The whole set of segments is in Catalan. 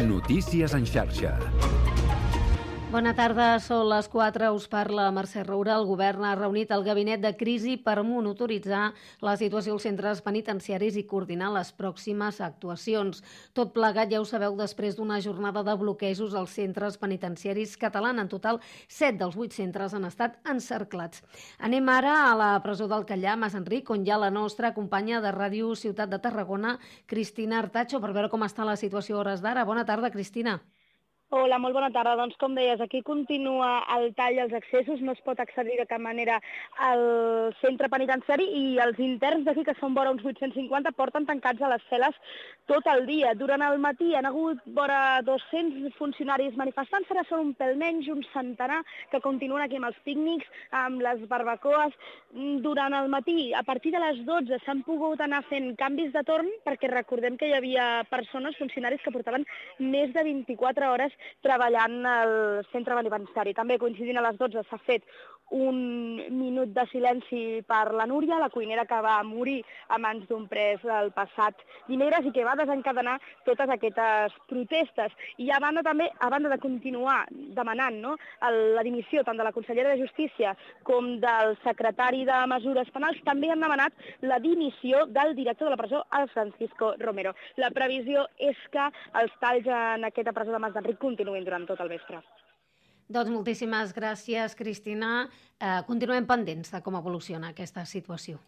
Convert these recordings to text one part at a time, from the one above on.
Notícies en xarxa. Bona tarda, són les 4, us parla Mercè Roura. El govern ha reunit el gabinet de crisi per monitoritzar la situació als centres penitenciaris i coordinar les pròximes actuacions. Tot plegat, ja ho sabeu, després d'una jornada de bloquejos als centres penitenciaris catalans. En total, 7 dels 8 centres han estat encerclats. Anem ara a la presó del Callà, Mas Enric, on hi ha la nostra companya de Ràdio Ciutat de Tarragona, Cristina Artacho, per veure com està la situació a hores d'ara. Bona tarda, Cristina. Hola, molt bona tarda. Doncs com deies, aquí continua el tall als accessos, no es pot accedir de cap manera al centre penitenciari i els interns d'aquí, que són vora uns 850, porten tancats a les cel·les tot el dia. Durant el matí han hagut vora 200 funcionaris manifestants, ara són un pèl menys, un centenar, que continuen aquí amb els pícnics, amb les barbacoes. Durant el matí, a partir de les 12, s'han pogut anar fent canvis de torn, perquè recordem que hi havia persones, funcionaris, que portaven més de 24 hores treballant al centre penitenciari. També coincidint a les 12 s'ha fet un minut de silenci per la Núria, la cuinera que va morir a mans d'un pres el passat dimecres i que va desencadenar totes aquestes protestes. I a banda també, a banda de continuar demanant la dimissió tant de la consellera de Justícia com del secretari de Mesures Penals, també han demanat la dimissió del director de la presó, el Francisco Romero. La previsió és que els talls en aquesta presó de Mas d'Enric continuïn durant tot el vespre. Doncs moltíssimes gràcies, Cristina. Continuem pendents de com evoluciona aquesta situació.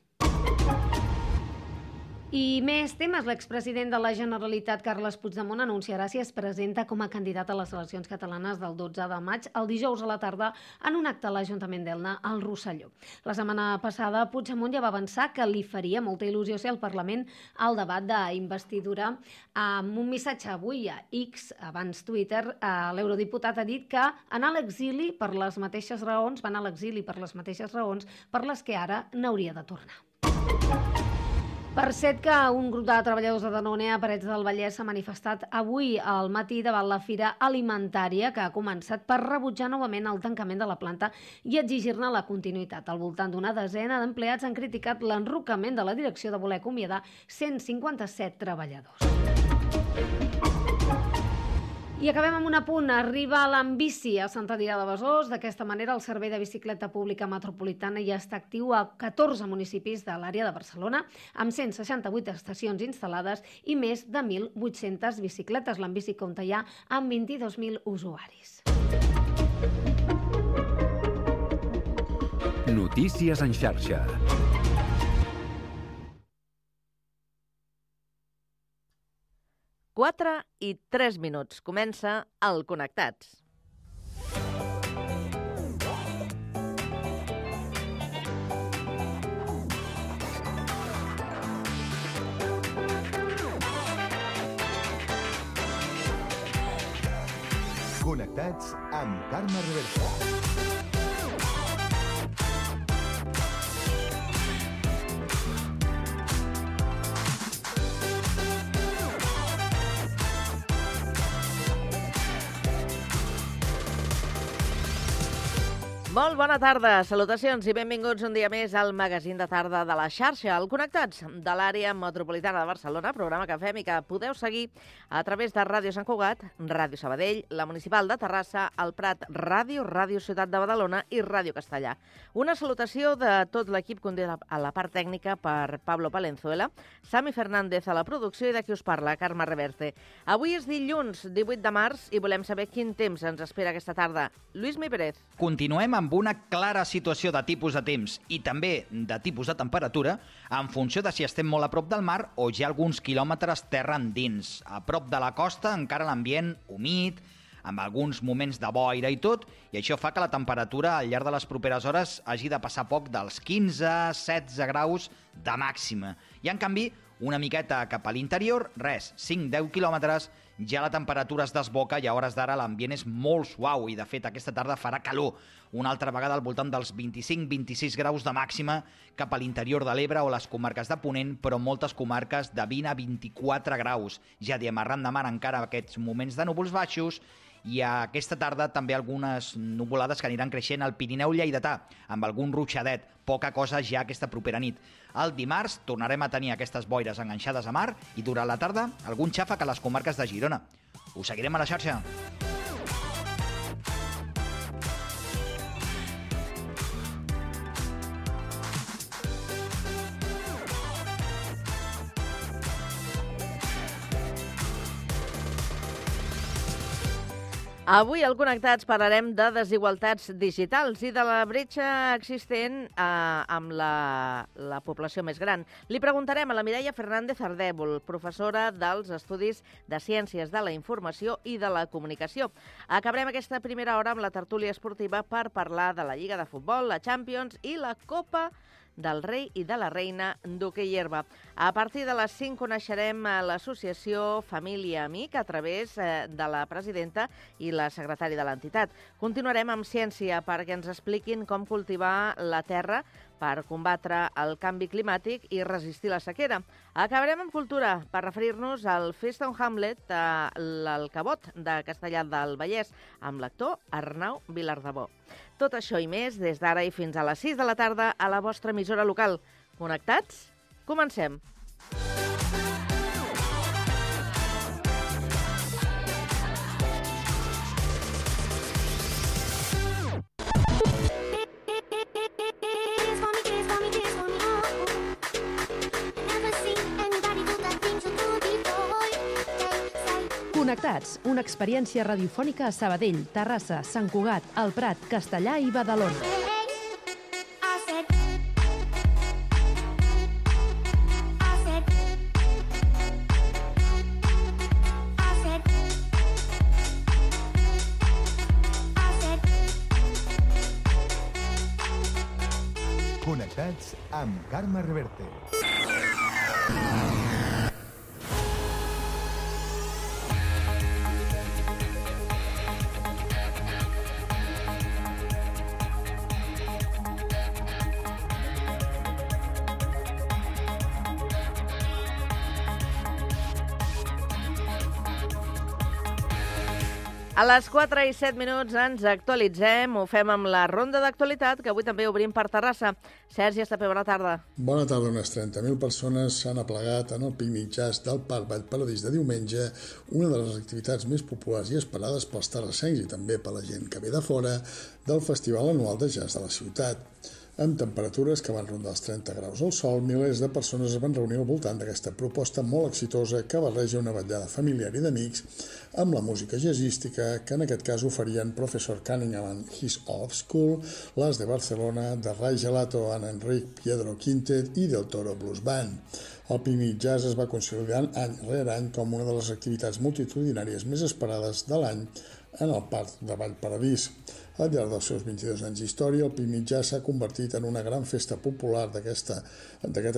I més temes. L'expresident de la Generalitat, Carles Puigdemont, anunciarà si es presenta com a candidat a les eleccions catalanes del 12 de maig, el dijous a la tarda, en un acte a l'Ajuntament d'Elna, al Rosselló. La setmana passada, Puigdemont ja va avançar que li faria molta il·lusió ser al Parlament al debat d'investidura. Amb un missatge avui a X, abans Twitter, l'eurodiputat ha dit que anar a l'exili per les mateixes raons, va anar a l'exili per les mateixes raons per les que ara n'hauria de tornar. Per cert, que un grup de treballadors de Danone a Parets del Vallès s'ha manifestat avui al matí davant la Fira Alimentària, que ha començat per rebutjar novament el tancament de la planta i exigir-ne la continuïtat. Al voltant d'una desena d'empleats han criticat l'enrocament de la direcció de voler acomiadar 157 treballadors. I acabem amb un apunt. Arriba l'Ambici a Sant Adrià de Besòs. D'aquesta manera, el servei de bicicleta pública metropolitana ja està actiu a 14 municipis de l'àrea de Barcelona, amb 168 estacions instal·lades i més de 1.800 bicicletes. L'Ambici compta ja amb 22.000 usuaris. Notícies en xarxa. 4:03. Comença el Connectats. Connectats amb Carme Reversa. Molt bona tarda, salutacions i benvinguts un dia més al magazín de tarda de la xarxa, el Connectats de l'àrea metropolitana de Barcelona, programa que fem i que podeu seguir a través de Ràdio Sant Cugat, Ràdio Sabadell, la Municipal de Terrassa, el Prat Ràdio, Ràdio Ciutat de Badalona i Ràdio Castellà. Una salutació de tot l'equip conduït a la part tècnica per Pablo Palenzuela, Sami Fernández a la producció i de qui us parla, Carme Reverte. Avui és dilluns 18 de març i volem saber quin temps ens espera aquesta tarda. Lluís Mi Pérez. Continuem amb una clara situació de tipus de temps i també de tipus de temperatura en funció de si estem molt a prop del mar o ja alguns quilòmetres terra endins. A prop de la costa encara l'ambient humit, amb alguns moments de boira i tot, i això fa que la temperatura al llarg de les properes hores hagi de passar poc dels 15-16 graus de màxima. I en canvi, una miqueta cap a l'interior, res, 5-10 quilòmetres, ja la temperatura es desboca i a hores d'ara l'ambient és molt suau i de fet aquesta tarda farà calor, una altra vegada al voltant dels 25-26 graus de màxima cap a l'interior de l'Ebre o les comarques de Ponent, però moltes comarques de 20 a 24 graus. Ja diem arran de mar encara aquests moments de núvols baixos I aquesta tarda també algunes nuvolades que aniran creixent al Pirineu lleidatà, amb algun ruixadet, poca cosa ja aquesta propera nit. El dimarts tornarem a tenir aquestes boires enganxades a mar i durant la tarda algun xàfec a les comarques de Girona. Us seguirem a la xarxa. Avui al Connectats parlarem de desigualtats digitals i de la bretxa existent amb la població més gran. Li preguntarem a la Mireia Fernández Ardèvol, professora dels Estudis de Ciències de la Informació i de la Comunicació. Acabarem aquesta primera hora amb la tertúlia esportiva per parlar de la Lliga de Futbol, la Champions i la Copa del Rei i de la Reina d'hoquei herba. A partir de les 5 coneixerem l'associació Família Amic a través de la presidenta i la secretària de l'entitat. Continuarem amb ciència perquè ens expliquin com cultivar la terra per combatre el canvi climàtic i resistir la sequera. Acabarem amb cultura per referir-nos al Feaston Hamlet, l'Alcavot de Castellar del Vallès, amb l'actor Arnau Vilardebó. Tot això i més des d'ara i fins a les 6 de la tarda a la vostra emissora local. Connectats? Comencem! Connectats, una experiència radiofònica a Sabadell, Terrassa, Sant Cugat, El Prat, Castellar i Badalona. Connectats amb Carme Reverte. A les 4 i 7 minuts ens actualitzem, ho fem amb la ronda d'actualitat, que avui també obrim per Terrassa. Sergi Estapé, bona tarda. Bona tarda. Unes 30.000 persones s'han aplegat en el pícnic jazz del Parc Vallparadís de diumenge, una de les activitats més populars i esperades pels terrassencs i també per la gent que ve de fora del Festival Anual de Jazz de la ciutat. Amb temperatures que van rondar els 30 graus al sol, milers de persones es van reunir al voltant d'aquesta proposta molt exitosa que barreja una vetllada familiar i d'amics amb la música jazzística que en aquest cas oferien Professor Cunningham and His Off School, les de Barcelona, de Ray Gelato and Enric Piedro Quintet i del Toro Blues Band. El pícnic jazz es va consolidant any rere any com una de les activitats multitudinàries més esperades de l'any en el Parc de Vallparadís. Al llarg dels seus 22 anys d'història, el pícnic jazz s'ha convertit en una gran festa popular d'aquest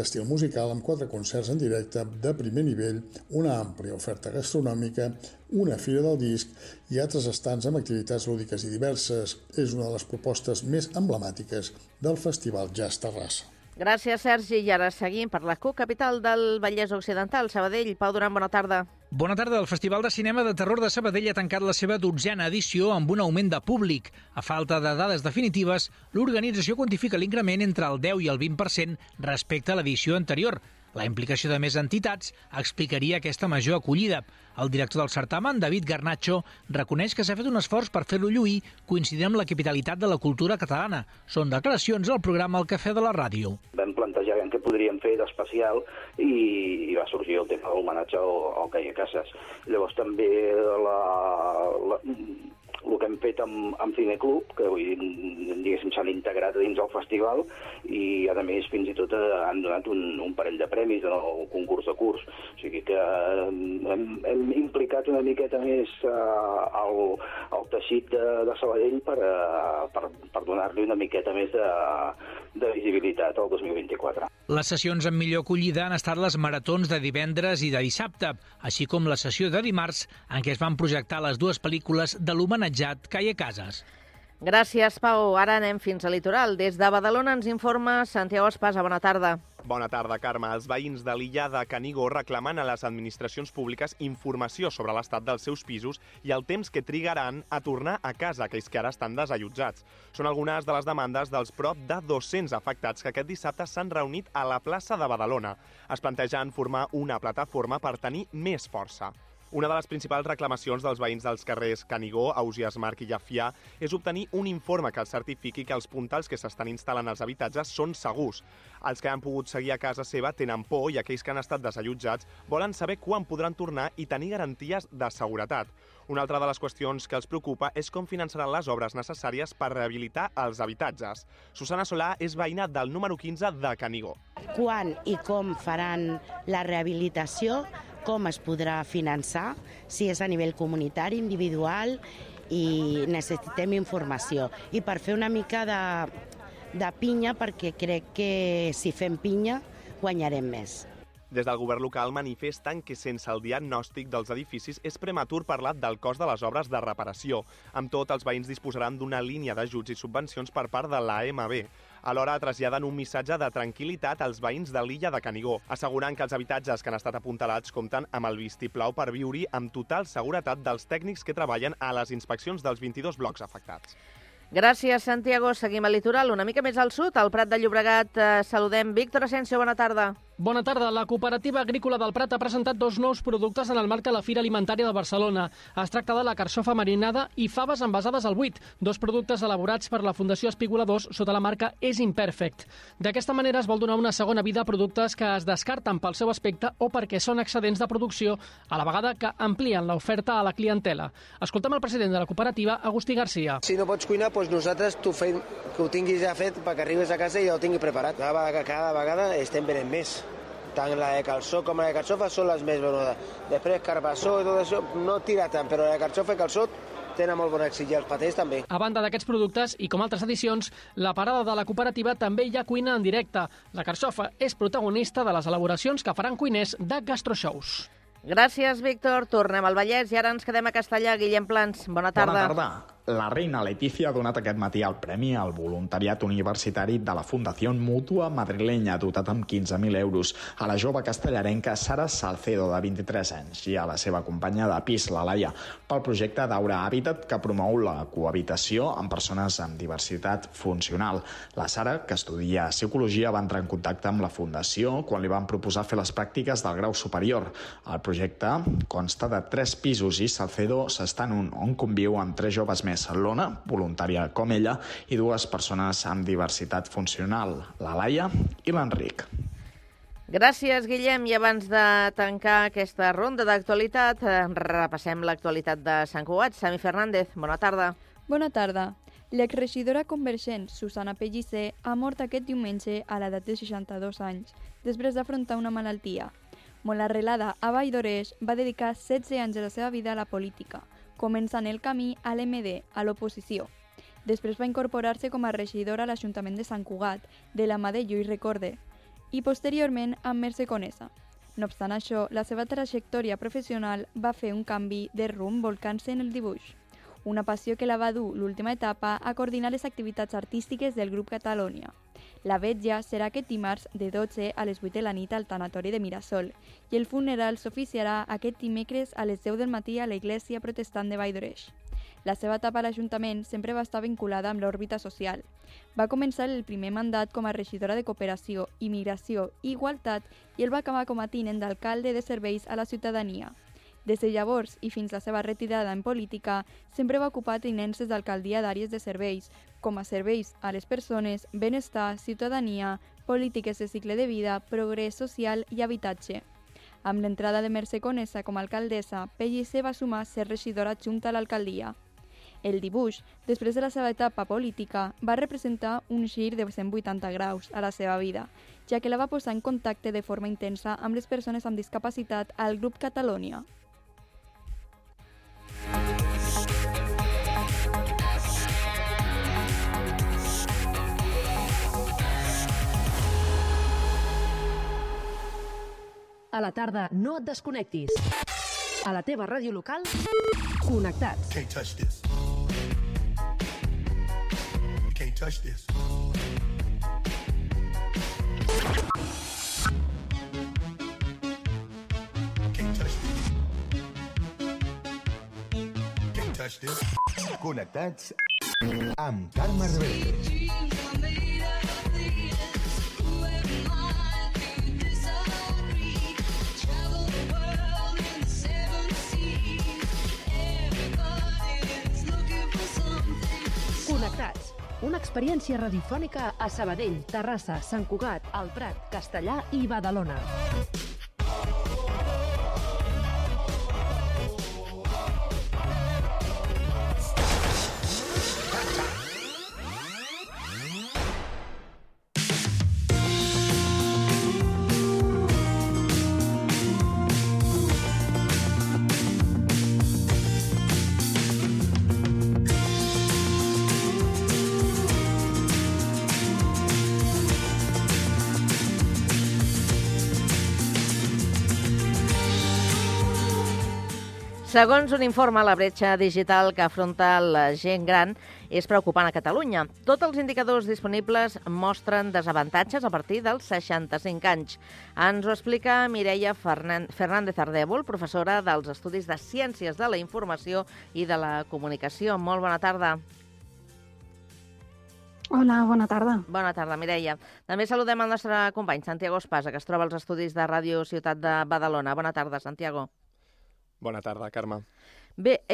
estil musical amb 4 concerts en directe de primer nivell, una àmplia oferta gastronòmica, una fira del disc i altres estants amb activitats lúdiques i diverses. És una de les propostes més emblemàtiques del Festival Jazz Terrassa. Gràcies, Sergi. I ara seguim per la CUC, capital del Vallès Occidental, Sabadell. Pau Duran, bona tarda. Bona tarda. El Festival de Cinema de Terror de Sabadell ha tancat la seva 12a edició amb un augment de públic. A falta de dades definitives, l'organització quantifica l'increment entre el 10 i el 20% respecte a l'edició anterior. La implicació de més entitats explicaria aquesta major acollida. El director del certamen, David Garnacho, reconeix que s'ha fet un esforç per fer-lo lluir, coincidint amb la capitalitat de la cultura catalana. Són declaracions al programa El Cafè de la Ràdio. Vam plantejar què podríem fer d'especial i va sorgir el tema de l'homenatge al Caia Casas. Llavors també el que hem fet amb Cineclub, que avui diguéssim s'han integrat dins el festival i a més fins i tot han donat un parell de premis en el concurs de curs. O sigui que hem implicat una miqueta més el teixit de Sabadell per donar-li una miqueta més de visibilitat al 2024. Les sessions amb millor acollida han estat les maratons de divendres i de dissabte, així com la sessió de dimarts en què es van projectar les dues pel·lícules de l'homenatjat Caia Casas. Gràcies, Pau. Ara anem fins al litoral. Des de Badalona ens informa Santiago Espasa. Bona tarda. Bona tarda, Carme. Els veïns de l'illa de Canigó reclamen a les administracions públiques informació sobre l'estat dels seus pisos i el temps que trigaran a tornar a casa aquells que ara estan desallotjats. Són algunes de les demandes dels prop de 200 afectats que aquest dissabte s'han reunit a la plaça de Badalona. Es plantegen formar una plataforma per tenir més força. Una de les principals reclamacions dels veïns dels carrers Canigó, Ausiàs Marc i Llafià és obtenir un informe que els certifiqui que els puntals que s'estan instal·lant als habitatges són segurs. Els que han pogut seguir a casa seva tenen por i aquells que han estat desallotjats volen saber quan podran tornar i tenir garanties de seguretat. Una altra de les qüestions que els preocupa és com finançaran les obres necessàries per rehabilitar els habitatges. Susana Solà és veïna del número 15 de Canigó. Quan i com faran la rehabilitació, com es podrà finançar, si és a nivell comunitari, individual, i necessitem informació. I per fer una mica de pinya, perquè crec que si fem pinya guanyarem més. Des del govern local manifesten que sense el diagnòstic dels edificis és prematur parlar del cost de les obres de reparació. Amb tot, els veïns disposaran d'una línia d'ajuts i subvencions per part de l'AMB. Alhora traslladen un missatge de tranquil·litat als veïns de l'illa de Canigó, assegurant que els habitatges que han estat apuntalats compten amb el vistiplau per viure-hi amb total seguretat dels tècnics que treballen a les inspeccions dels 22 blocs afectats. Gràcies, Santiago. Seguim al litoral, una mica més al sud, al Prat de Llobregat. Saludem Víctor Asensio, bona tarda. Bona tarda. La Cooperativa Agrícola del Prat ha presentat 2 nous productes en el marc de la Fira Alimentària de Barcelona. Es tracta de la carxofa marinada i faves envasades al buit, 2 productes elaborats per la Fundació Espigoladors sota la marca És Imperfect. D'aquesta manera es vol donar una segona vida a productes que es descarten pel seu aspecte o perquè són excedents de producció, a la vegada que amplien l'oferta a la clientela. Escoltem el president de la cooperativa, Agustí Garcia. Si no pots cuinar, doncs nosaltres t'ho fem, que ho tinguis ja fet perquè arribes a casa i ja ho tinguis preparat. Cada vegada estem venent més. Tant la de calçó com la de carxofa són les més venudes. Després carbassó i tot això no tira tant, però la de carxofa i calçó tenen molt bon èxit i els patès també. A banda d'aquests productes i com altres edicions, la parada de la cooperativa també hi ha cuina en directe. La carxofa és protagonista de les elaboracions que faran cuiners de gastroshows. Gràcies, Víctor. Tornem al Vallès i ara ens quedem a Castellà. Guillem Plans, bona tarda. Bona tarda. La reina Letícia ha donat aquest matí el premi al voluntariat universitari de la Fundació Mútua Madrilenya, dotat amb 15.000 euros, a la jove castellarenca Sara Salcedo, de 23 anys, i a la seva companya de pis, la Laia, pel projecte d'Aura Hàbitat, que promou la cohabitació amb persones amb diversitat funcional. La Sara, que estudia psicologia, va entrar en contacte amb la Fundació quan li van proposar fer les pràctiques del grau superior. El projecte consta de 3 pisos i Salcedo s'està en un on conviu amb 3 joves més, l'Ona, voluntària com ella, i 2 persones amb diversitat funcional, la Laia i l'Enric. Gràcies, Guillem. I abans de tancar aquesta ronda d'actualitat, repassem l'actualitat de Sant Cugat. Sami Fernández, bona tarda. Bona tarda. L'exregidora convergent Susana Pellicer ha mort aquest diumenge a l'edat de 62 anys, després d'afrontar una malaltia. Molt arrelada a Vall d'Oreix, va dedicar 16 anys de la seva vida a la política, començant el camí a l'MD, a l'oposició. Després va incorporar-se com a regidora a l'Ajuntament de Sant Cugat, de la mà de Lluís Recorde, i posteriorment amb Mercè Conesa. No obstant això, la seva trajectòria professional va fer un canvi de rumb volcant-se en el dibuix, una passió que la va dur l'última etapa a coordinar les activitats artístiques del grup Catalònia. La vetlla serà aquest dimarts de 12 a les 8 de la nit al tanatori de Mirasol i el funeral s'oficiarà aquest dimecres a les 10 del matí a la Iglésia Protestant de Vall d'Oreix. La seva etapa a l'Ajuntament sempre va estar vinculada amb l'òrbita social. Va començar el primer mandat com a regidora de Cooperació, Immigració i Igualtat i el va acabar com a tinent d'alcalde de Serveis a la Ciutadania. Des de llavors i fins la seva retirada en política, sempre va ocupar tinences d'alcaldia d'àrees de serveis, com a serveis a les persones, benestar, ciutadania, polítiques de cicle de vida, progrés social i habitatge. Amb l'entrada de Mercè Conesa com a alcaldessa, Pellicer va sumar ser regidora adjunta a l'alcaldia. El dibuix, després de la seva etapa política, va representar un gir de 180 graus a la seva vida, ja que la va posar en contacte de forma intensa amb les persones amb discapacitat al grup Catalònia. A la tarda no et desconnectis. A la teva ràdio local, connectats. Can't touch this. Can't touch this. Connectats amb Carme Reverte. Connectats. Una experiència radiofònica a Sabadell, Terrassa, Sant Cugat, El Prat, Castellar i Badalona. Segons un informe, la bretxa digital que afronta la gent gran és preocupant a Catalunya. Tots els indicadors disponibles mostren desavantatges a partir dels 65 anys. Ens ho explica Mireia Fernández Ardèvol, professora dels Estudis de Ciències de la Informació i de la Comunicació. Molt bona tarda. Hola, bona tarda. Bona tarda, Mireia. També saludem el nostre company, Santiago Espasa, que es troba als estudis de Ràdio Ciutat de Badalona. Bona tarda, Santiago. Bona tarda, Carme. Bé,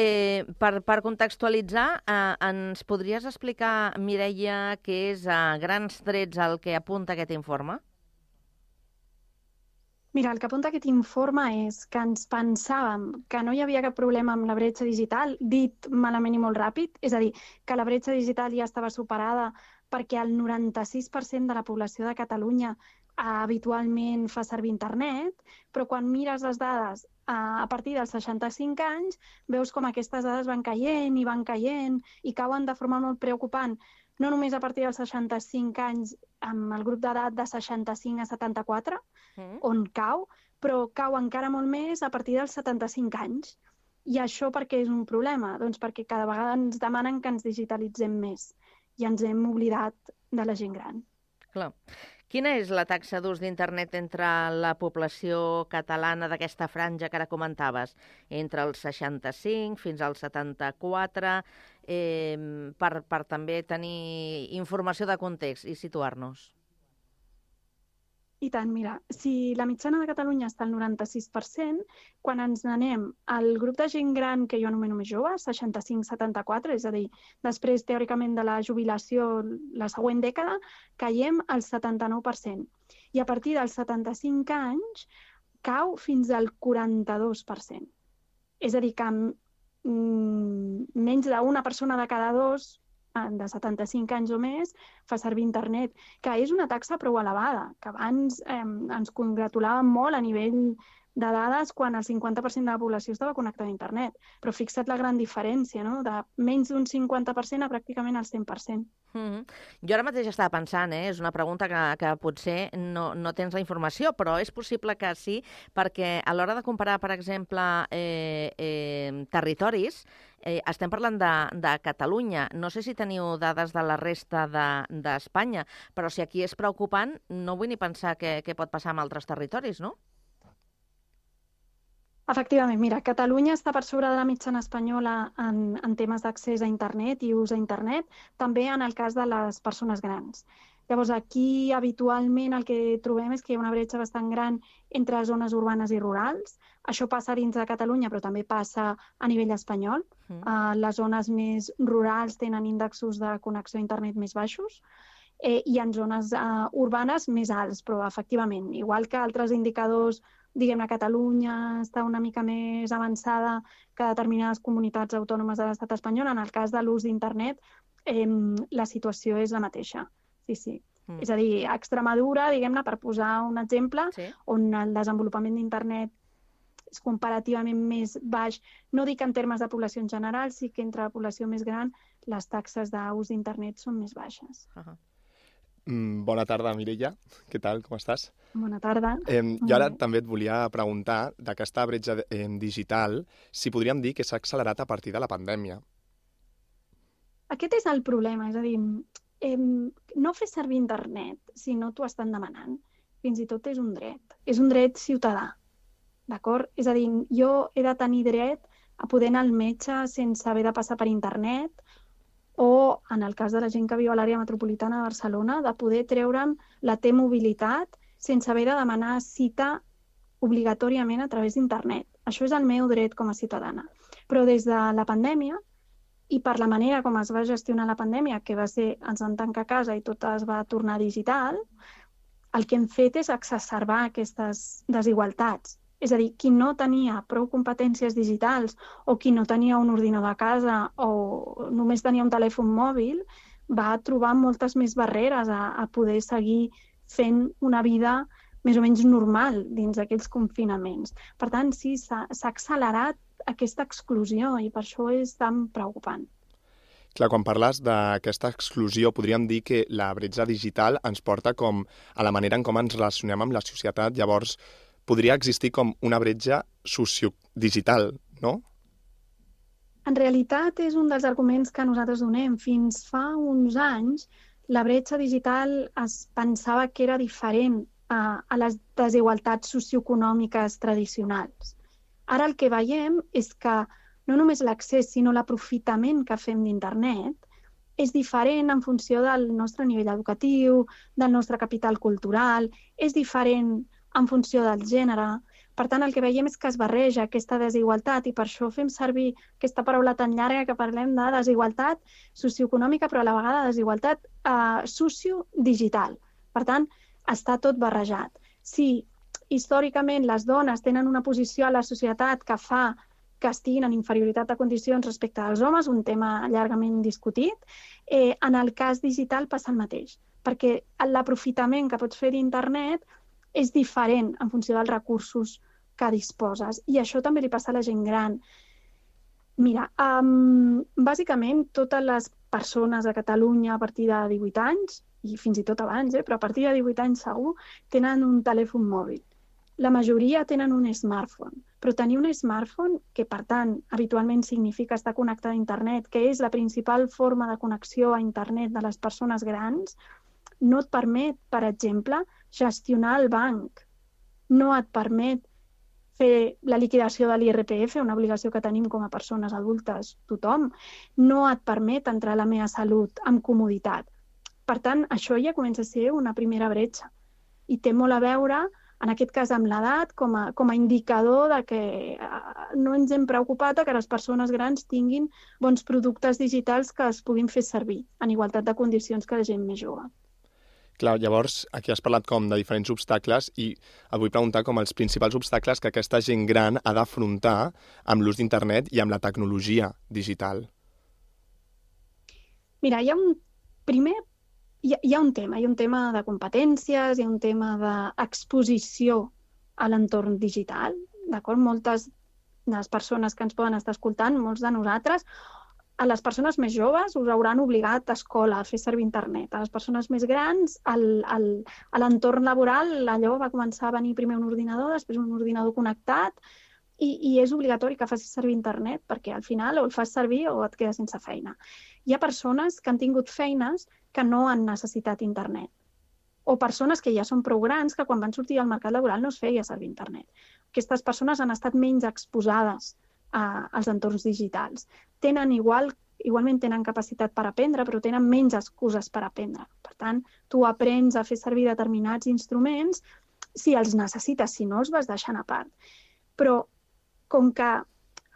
per contextualitzar, ens podries explicar, Mireia, què és a grans trets el que apunta aquest informe? Mira, el que apunta aquest informe és que ens pensàvem que no hi havia cap problema amb la bretxa digital, dit malament i molt ràpid, és a dir, que la bretxa digital ja estava superada perquè el 96% de la població de Catalunya habitualment fa servir internet, però quan mires les dades a partir dels 65 anys, veus com aquestes dades van caient i cauen de forma molt preocupant, no només a partir dels 65 anys amb el grup d'edat de 65 a 74, on cau, però cau encara molt més a partir dels 75 anys. I això per què és un problema? Doncs perquè cada vegada ens demanen que ens digitalitzem més i ens hem oblidat de la gent gran. Clar. Quina és la taxa d'ús d'internet entre la població catalana d'aquesta franja que ara comentaves? Entre els 65 fins als 74, per també tenir informació de context i situar-nos. I tant, mira, si la mitjana de Catalunya està al 96%, quan ens n'anem al grup de gent gran que jo anomeno més jove, 65-74, és a dir, després, teòricament, de la jubilació, la següent dècada, caiem al 79%. I a partir dels 75 anys cau fins al 42%. És a dir, que menys d'una persona de cada dos de 75 anys o més fa servir internet, que és una taxa prou elevada, que abans ens congratulàvem molt a nivell de dades quan el 50% de la població estava connectada a internet. Però fixa't la gran diferència, no? De menys d'un 50% a pràcticament el 100%. Jo ara mateix estava pensant, és una pregunta que potser no tens la informació, però és possible que sí, perquè a l'hora de comparar, per exemple, territoris, estem parlant de Catalunya. No sé si teniu dades de la resta d'Espanya, però si aquí és preocupant, no vull ni pensar què pot passar amb altres territoris, no? Efectivament, mira, Catalunya està per sobre de la mitjana espanyola en temes d'accés a internet i ús a internet, també en el cas de les persones grans. Llavors, aquí habitualment el que trobem és que hi ha una bretxa bastant gran entre zones urbanes i rurals. Això passa dins de Catalunya, però també passa a nivell espanyol. Les zones més rurals tenen índexs de connexió a internet més baixos i en zones urbanes més alts, però efectivament, igual que altres indicadors, diguem-ne, Catalunya està una mica més avançada que determinades comunitats autònomes de l'estat espanyol. En el cas de l'ús d'internet, la situació és la mateixa. Sí. És a dir, a Extremadura, diguem-ne, per posar un exemple, on el desenvolupament d'internet és comparativament més baix, no dic en termes de població en general, sí que entre la població més gran les taxes d'ús d'internet són més baixes. Bona tarda, Mireia. Què tal? Com estàs? Bona tarda. Jo ara també et volia preguntar d'aquesta bretxa digital, si podríem dir que s'ha accelerat a partir de la pandèmia. Aquest és el problema, és a dir, no fer servir internet si no t'ho estan demanant, fins i tot és un dret. És un dret ciutadà, d'acord? És a dir, jo he de tenir dret a poder anar al metge sense haver de passar per internet, o, en el cas de la gent que viu a l'àrea metropolitana de Barcelona, de poder treure'm la T-mobilitat sense haver de demanar cita obligatòriament a través d'internet. Això és el meu dret com a ciutadana. Però des de la pandèmia, i per la manera com es va gestionar la pandèmia, que va ser ens van tancar a casa i tot es va tornar digital, el que hem fet és exacerbar aquestes desigualtats. És a dir, qui no tenia prou competències digitals o qui no tenia un ordinador a casa o només tenia un telèfon mòbil va trobar moltes més barreres a poder seguir fent una vida més o menys normal dins d'aquells confinaments. Per tant, sí, s'ha accelerat aquesta exclusió i per això és tan preocupant. Clar, quan parles d'aquesta exclusió, podríem dir que la bretxa digital ens porta com a la manera en com ens relacionem amb la societat. Llavors, podria existir com una bretxa sociodigital, no? En realitat és un dels arguments que nosaltres donem. Fins fa uns anys, la bretxa digital es pensava que era diferent a les desigualtats socioeconòmiques tradicionals. Ara el que veiem és que no només l'accés, sinó l'aprofitament que fem d'internet és diferent en funció del nostre nivell educatiu, del nostre capital cultural, és diferent en funció del gènere. Per tant, el que veiem és que es barreja aquesta desigualtat i per això fem servir aquesta paraula tan llarga que parlem de desigualtat socioeconòmica, però a la vegada desigualtat sociodigital. Per tant, està tot barrejat. Si històricament les dones tenen una posició a la societat que fa que estiguin en inferioritat de condicions respecte als homes, un tema llargament discutit, en el cas digital passa el mateix, perquè l'aprofitament que pots fer d'internet és diferent en funció dels recursos que disposes. I això també li passa a la gent gran. Mira, bàsicament totes les persones a Catalunya a partir de 18 anys, i fins i tot abans, però a partir de 18 anys segur, tenen un telèfon mòbil. La majoria tenen un smartphone, però tenir un smartphone, que per tant habitualment significa estar connectat a internet, que és la principal forma de connexió a internet de les persones grans, no et permet, per exemple, gestionar el banc. No et permet fer la liquidació de l'IRPF, una obligació que tenim com a persones adultes, tothom. No et permet entrar a la meva salut amb comoditat. Per tant, això ja comença a ser una primera bretxa. I té molt a veure, en aquest cas amb l'edat, com a indicador de que no ens hem preocupat que les persones grans tinguin bons productes digitals que es puguin fer servir en igualtat de condicions que la gent més jove. Clar, llavors, aquí has parlat com de diferents obstacles i et vull preguntar com els principals obstacles que aquesta gent gran ha d'afrontar amb l'ús d'internet i amb la tecnologia digital. Mira, hi ha un tema de competències, hi ha un tema d'exposició a l'entorn digital, d'acord? Moltes de les persones que ens poden estar escoltant, molts de nosaltres, a les persones més joves us hauran obligat a escola a fer servir internet. A les persones més grans, a l'entorn laboral, allò va començar a venir primer un ordinador, després un ordinador connectat, i és obligatori que facis servir internet, perquè al final o el fas servir o et quedes sense feina. Hi ha persones que han tingut feines que no han necessitat internet, o persones que ja són prou grans que quan van sortir al mercat laboral no es feia servir internet. Aquestes persones han estat menys exposades als entorns digitals. Igualment tenen capacitat per aprendre, però tenen menys excuses per aprendre. Per tant, tu aprens a fer servir determinats instruments si els necessites, si no els vas deixant a part. Però com que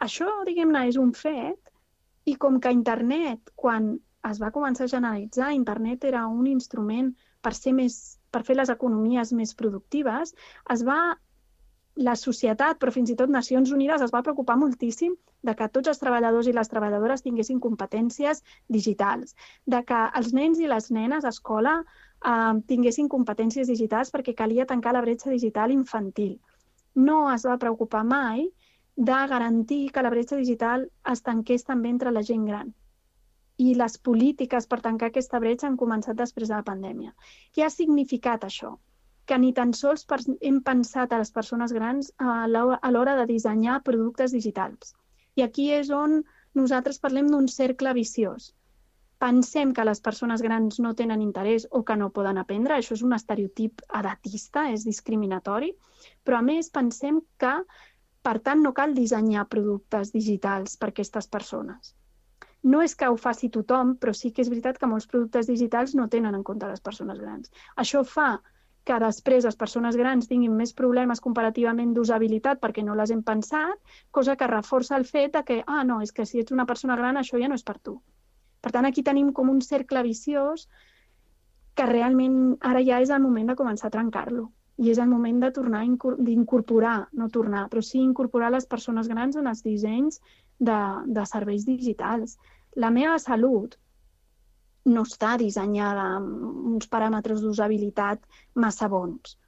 això, diguem-ne, és un fet, i com que internet, quan es va començar a generalitzar, internet era un instrument per fer les economies més productives, la societat, però fins i tot Nacions Unides, es va preocupar moltíssim de que tots els treballadors i les treballadores tinguessin competències digitals, de que els nens i les nenes a escola tinguessin competències digitals perquè calia tancar la bretxa digital infantil. No es va preocupar mai de garantir que la bretxa digital es tanqués també entre la gent gran. I les polítiques per tancar aquesta bretxa han començat després de la pandèmia. Què ha significat això? Que ni tan sols hem pensat a les persones grans a l'hora de dissenyar productes digitals. I aquí és on nosaltres parlem d'un cercle viciós. Pensem que les persones grans no tenen interès o que no poden aprendre, això és un estereotip edatista, és discriminatori, però a més pensem que Per tant, no cal dissenyar productes digitals per a aquestes persones. No és que ho faci tothom, però sí que és veritat que molts productes digitals no tenen en compte les persones grans. Això fa que després les persones grans tinguin més problemes comparativament d'usabilitat perquè no les hem pensat, cosa que reforça el fet que, no, és que si ets una persona gran això ja no és per tu. Per tant, aquí tenim com un cercle viciós que realment ara ja és el moment de començar a trencar-lo. I és el moment de tornar d'incorporar, no tornar, però sí incorporar les persones grans en els dissenys de serveis digitals. La meva salut no està dissenyada amb uns paràmetres d'usabilitat massa bons.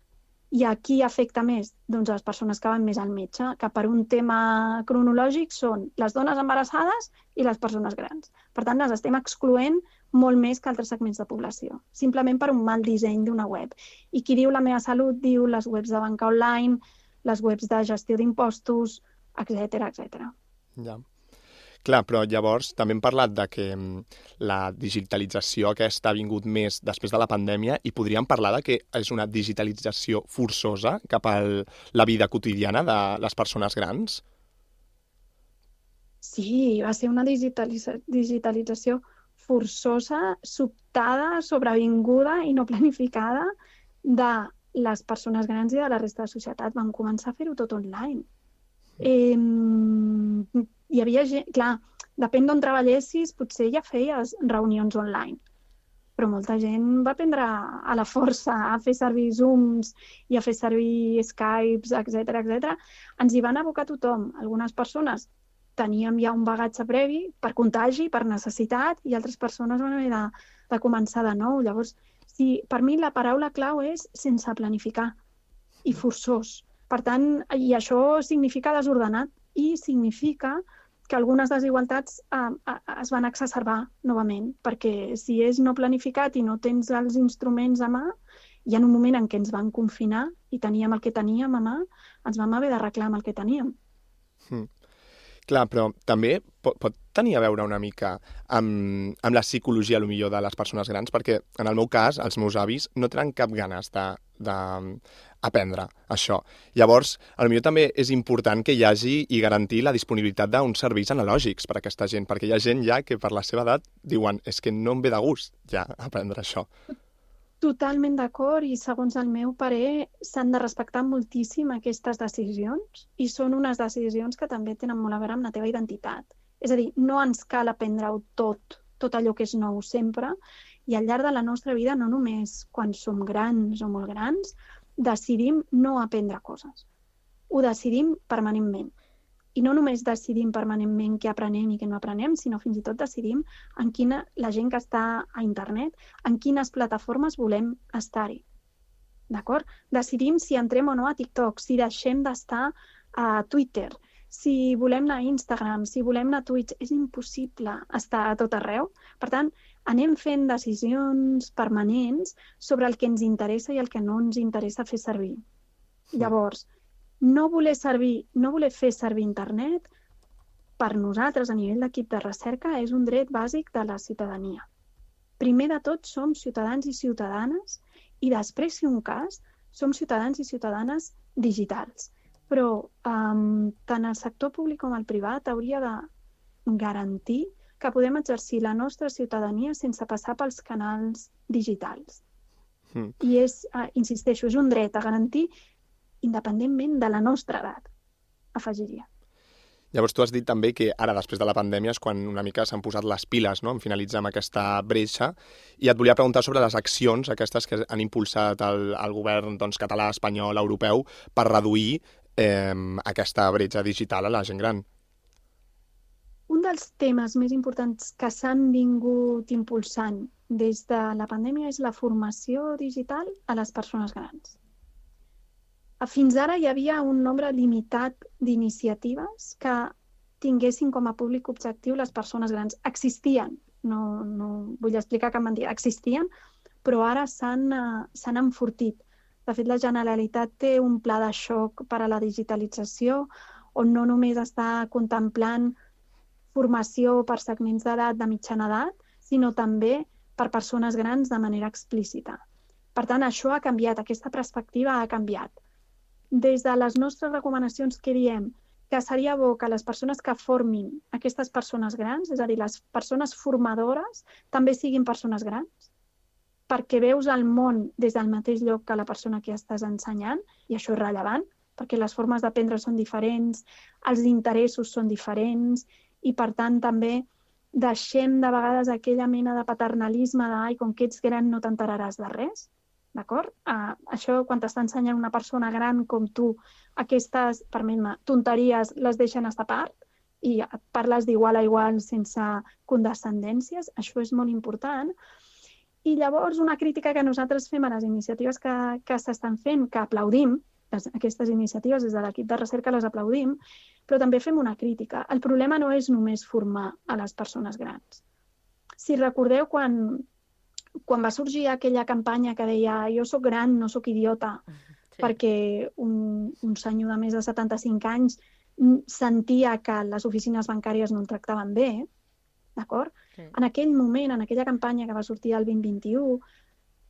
I a qui afecta més? Doncs a les persones que van més al metge, que per un tema cronològic són les dones embarassades i les persones grans. Per tant, les estem excloent molt més que altres segments de població, simplement per un mal disseny d'una web. I qui diu la meva salut diu les webs de banca online, les webs de gestió d'impostos, etc. Ja. Clar, però llavors també hem parlat de que la digitalització aquesta ha vingut més després de la pandèmia i podríem parlar de que és una digitalització forçosa cap a la vida quotidiana de les persones grans? Sí, va ser una digitalització forçosa, sobtada, sobrevinguda i no planificada de les persones grans i de la resta de la societat. Vam començar a fer-ho tot online. Hi havia gent, clar, depèn d'on treballessis, potser ja feies reunions online, però molta gent va aprendre a la força a fer servir Zooms i a fer servir Skypes, etc. Ens hi van abocar tothom. Algunes persones teníem ja un bagatge previ per contagi, per necessitat, i altres persones van haver de començar de nou. Llavors, per mi la paraula clau és sense planificar i forçós. Per tant, i això significa desordenat i significa que algunes desigualtats es van exacerbar novament, perquè si és no planificat i no tens els instruments a mà, hi ha un moment en què ens van confinar i teníem el que teníem a mà, ens vam haver d'arreglar amb el que teníem. Clar, però també pot tenir a veure una mica amb la psicologia, millor, de les persones grans, perquè en el meu cas, els meus avis no tenen cap ganes d'aprendre això. Llavors, potser també és important que hi hagi i garantir la disponibilitat d'uns serveis analògics per a aquesta gent, perquè hi ha gent ja que per la seva edat diuen és que no em ve de gust ja aprendre això. Totalment d'acord, i segons el meu parer s'han de respectar moltíssim aquestes decisions i són unes decisions que també tenen molt a veure amb la teva identitat. És a dir, no ens cal aprendre-ho tot allò que és nou sempre, i al llarg de la nostra vida, no només quan som grans o molt grans, decidim no aprendre coses. Ho decidim permanentment. I no només decidim permanentment què aprenem i què no aprenem, sinó fins i tot decidim la gent que està a internet, en quines plataformes volem estar-hi. D'acord? Decidim si entrem o no a TikTok, si deixem d'estar a Twitter, si volem anar a Instagram, si volem anar a Twitch. És impossible estar a tot arreu. Per tant, anem fent decisions permanents sobre el que ens interessa i el que no ens interessa fer servir. Llavors, no voler fer servir internet, per nosaltres, a nivell d'equip de recerca, és un dret bàsic de la ciutadania. Primer de tot, som ciutadans i ciutadanes, i després, si un cas, som ciutadans i ciutadanes digitals. Però tant el sector públic com el privat hauria de garantir que podem exercir la nostra ciutadania sense passar pels canals digitals. I insisteixo, és un dret a garantir independentment de la nostra edat, afegiria. Llavors tu has dit també que ara, després de la pandèmia, és quan una mica s'han posat les piles, no?, en finalitzar amb aquesta bretxa, i et volia preguntar sobre les accions aquestes que han impulsat el govern català, espanyol, europeu, per reduir aquesta bretxa digital a la gent gran. Un dels temes més importants que s'han vingut impulsant des de la pandèmia és la formació digital a les persones grans. Fins ara hi havia un nombre limitat d'iniciatives que tinguessin com a públic objectiu les persones grans. Existien, no vull explicar cap mentida, existien, però ara s'han enfortit. De fet, la Generalitat té un pla de xoc per a la digitalització on no només està contemplant formació per segments d'edat de mitjana edat, sinó també per persones grans de manera explícita. Per tant, això ha canviat, aquesta perspectiva ha canviat. Des de les nostres recomanacions que diem que seria bo que les persones que formin aquestes persones grans, és a dir, les persones formadores, també siguin persones grans, perquè veus el món des del mateix lloc que la persona que estàs ensenyant, i això és rellevant, perquè les formes d'aprendre són diferents, els interessos són diferents, i per tant també deixem de vegades aquella mena de paternalisme de com que ets gran no t'enteraràs de res, d'acord? Això, quan t'està ensenyant una persona gran com tu, aquestes, permet-me, tonteries les deixen estar a part i parles d'igual a igual sense condescendències, això és molt important. I llavors una crítica que nosaltres fem a les iniciatives que s'estan fent, que aplaudim, aquestes iniciatives des de l'equip de recerca les aplaudim, però també fem una crítica. El problema no és només formar a les persones grans. Si recordeu, quan va sorgir aquella campanya que deia jo sóc gran, no sóc idiota, perquè un senyor de més de 75 anys sentia que les oficines bancàries no el tractaven bé, d'acord? En aquell moment, en aquella campanya que va sortir el 2021,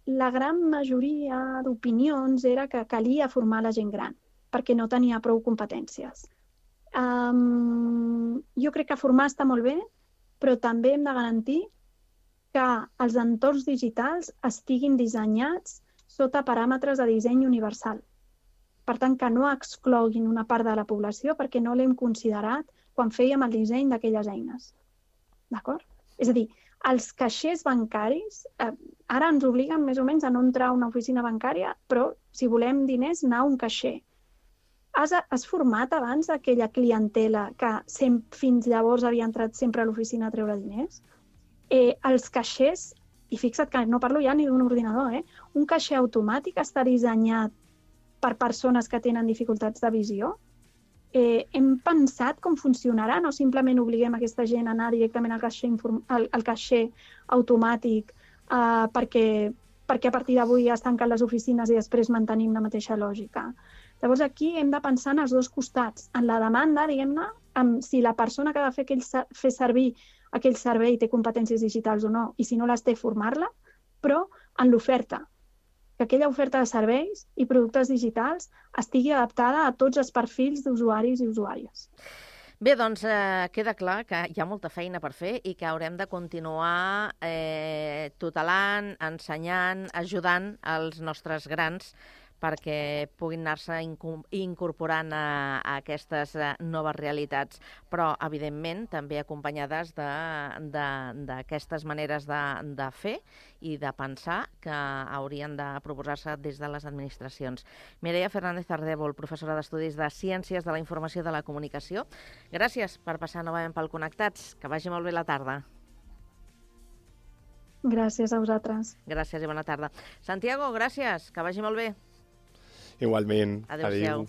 la gran majoria d'opinions era que calia formar la gent gran, perquè no tenia prou competències. Jo crec que formar està molt bé, però també hem de garantir que els entorns digitals estiguin dissenyats sota paràmetres de disseny universal. Per tant, que no excloguin una part de la població perquè no l'hem considerat quan fèiem el disseny d'aquelles eines. D'acord? És a dir, els caixers bancaris ara ens obliguen més o menys a no entrar a una oficina bancària, però si volem diners, anar a un caixer. Has format abans aquella clientela que fins llavors havia entrat sempre a l'oficina a treure diners? Els caixers, i fixa't que no parlo ja ni d'un ordinador, un caixer automàtic està dissenyat per persones que tenen dificultats de visió? Hem pensat com funcionarà, no simplement obliguem aquesta gent a anar directament al caixer automàtic perquè a partir d'avui es tanquen les oficines i després mantenim la mateixa lògica. Llavors aquí hem de pensar en els dos costats, en la demanda, diguem-ne, si la persona que ha de fer servir aquell servei té competències digitals o no, i si no les té, formar-la, però en l'oferta, que aquella oferta de serveis i productes digitals estigui adaptada a tots els perfils d'usuaris i usuàries. Bé, doncs queda clar que hi ha molta feina per fer i que haurem de continuar tutelant, ensenyant, ajudant els nostres grans perquè puguin anar-se incorporant a aquestes noves realitats, però, evidentment, també acompanyades d'aquestes maneres de fer i de pensar que haurien de proposar-se des de les administracions. Mireia Fernández Ardèvol, professora d'Estudis de Ciències de la Informació i de la Comunicació, gràcies per passar novament pel Connectats. Que vagi molt bé la tarda. Gràcies a vosaltres. Gràcies i bona tarda. Santiago, gràcies. Que vagi molt bé. Igualment. Adéu-siau.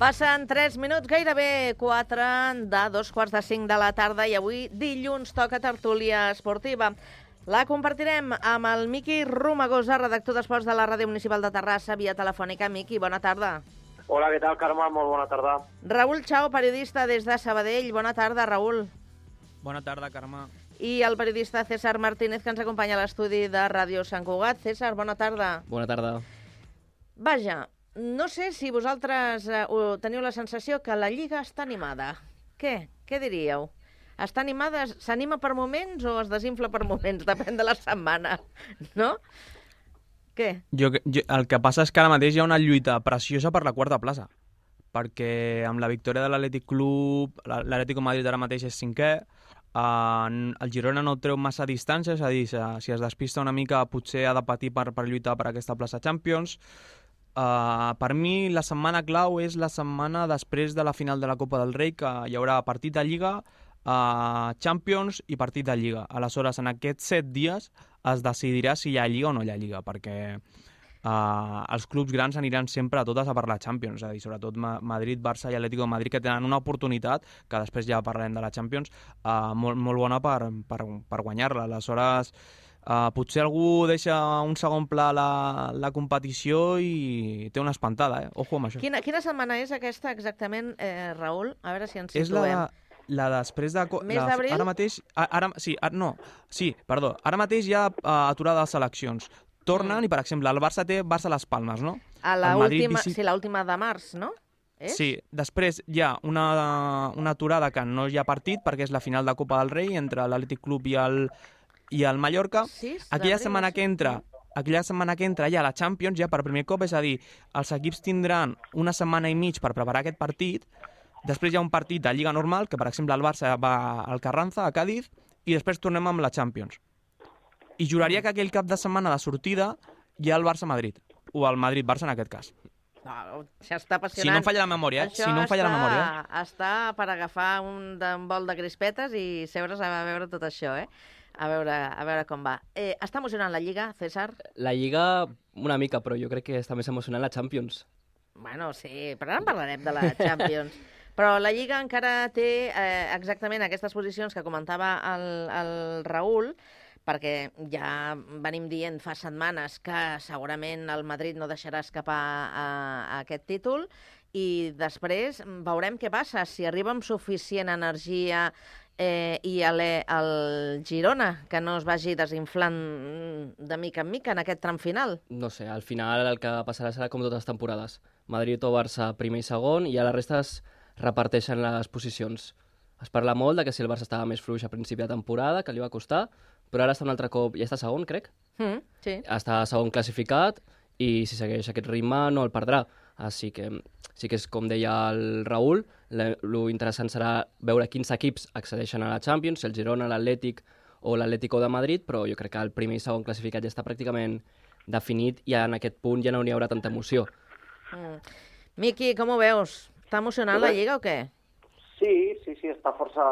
Passen 3 minuts, gairebé 4 de 2:45 de la tarda i avui dilluns toca tertúlia esportiva. La compartirem amb el Miqui Romagosa, redactor d'Esports de la Ràdio Municipal de Terrassa, via telefònica. Miqui, bona tarda. Hola, què tal, Carme? Molt bona tarda. Raül Chao, periodista des de Sabadell. Bona tarda, Raül. Bona tarda, Carme. I el periodista César Martínez, que ens acompanya a l'estudi de Ràdio Sant Cugat. César, bona tarda. Bona tarda. Vaja, no sé si vosaltres teniu la sensació que la Lliga està animada. Què diríeu? Està animada? S'anima per moments o es desinfla per moments? Depèn de la setmana, no? Què? El que passa és que ara mateix hi ha una lluita preciosa per la quarta plaça, perquè amb la victòria de l'Atlètic Club, l'Atlético Madrid ara mateix és 5è, el Girona no treu massa distància, és a dir, si es despista una mica potser ha de patir per lluitar per aquesta plaça Champions. Per mi la setmana clau és la setmana després de la final de la Copa del Rei, que hi haurà partit de Lliga, Champions i partit de Lliga. Aleshores, en aquests 7 dies es decidirà si hi ha Lliga o no hi ha Lliga, perquè els clubs grans aniran sempre a totes a parlar Champions, és a dir, sobretot Madrid, Barça i Atlético de Madrid, que tenen una oportunitat, que després ja parlarem de la Champions, molt bona per guanyar-la. Aleshores, potser algú deixa un segon pla la competició i té una espantada, Ojo amb això. Quina setmana és aquesta exactament, Raül? A veure si ens situem. És la després de... Mes d'abril? Ara mateix... Ara mateix hi ha aturada de seleccions. Tornen i, per exemple, el Barça té Barça Las Palmes, no? L'última de març, no? Sí, després hi ha una aturada que no hi ha partit perquè és la final de Copa del Rei entre l'Atlètic Club i el Mallorca. Aquella setmana que entra ja la Champions, ja per primer cop, és a dir, els equips tindran una setmana i mig per preparar aquest partit. Després hi ha un partit de Lliga normal, que per exemple el Barça va al Carranza, a Cádiz, i després tornem amb la Champions. I juraria que aquell cap de setmana de sortida hi ha el Barça-Madrid, o el Madrid-Barça en aquest cas. No, això està apassionant. Si no em falla la memòria, Està per agafar un bol de crispetes i seure's a veure tot això, A veure com va. Està emocionant la Lliga, César? La Lliga una mica, però jo crec que està més emocionant la Champions. Bueno, sí, però ara en parlarem de la Champions. Però la Lliga encara té exactament aquestes posicions que comentava el Raül, perquè ja venim dient fa setmanes que segurament el Madrid no deixarà escapar aquest títol i després veurem què passa, si arriba amb suficient energia i el Girona, que no es vagi desinflant de mica en mica en aquest tram final. No sé, al final el que passarà serà com totes les temporades. Madrid o Barça primer i segon i a la resta es reparteixen les posicions. Es parla molt de que si el Barça estava més fluix a principi de temporada, que li va costar, però ara està un altre cop, ja està segon, crec? Sí. Està segon classificat i si segueix aquest ritme no el perdrà. Així que sí que és com deia el Raül, lo interessant serà veure quins equips accedeixen a la Champions, si el Girona, l'Atlètic o l'Atlético de Madrid, però jo crec que el primer i segon classificat ja està pràcticament definit i en aquest punt ja no hi haurà tanta emoció. Miqui, com ho veus? Està emocionant la Lliga o què? Sí, està força...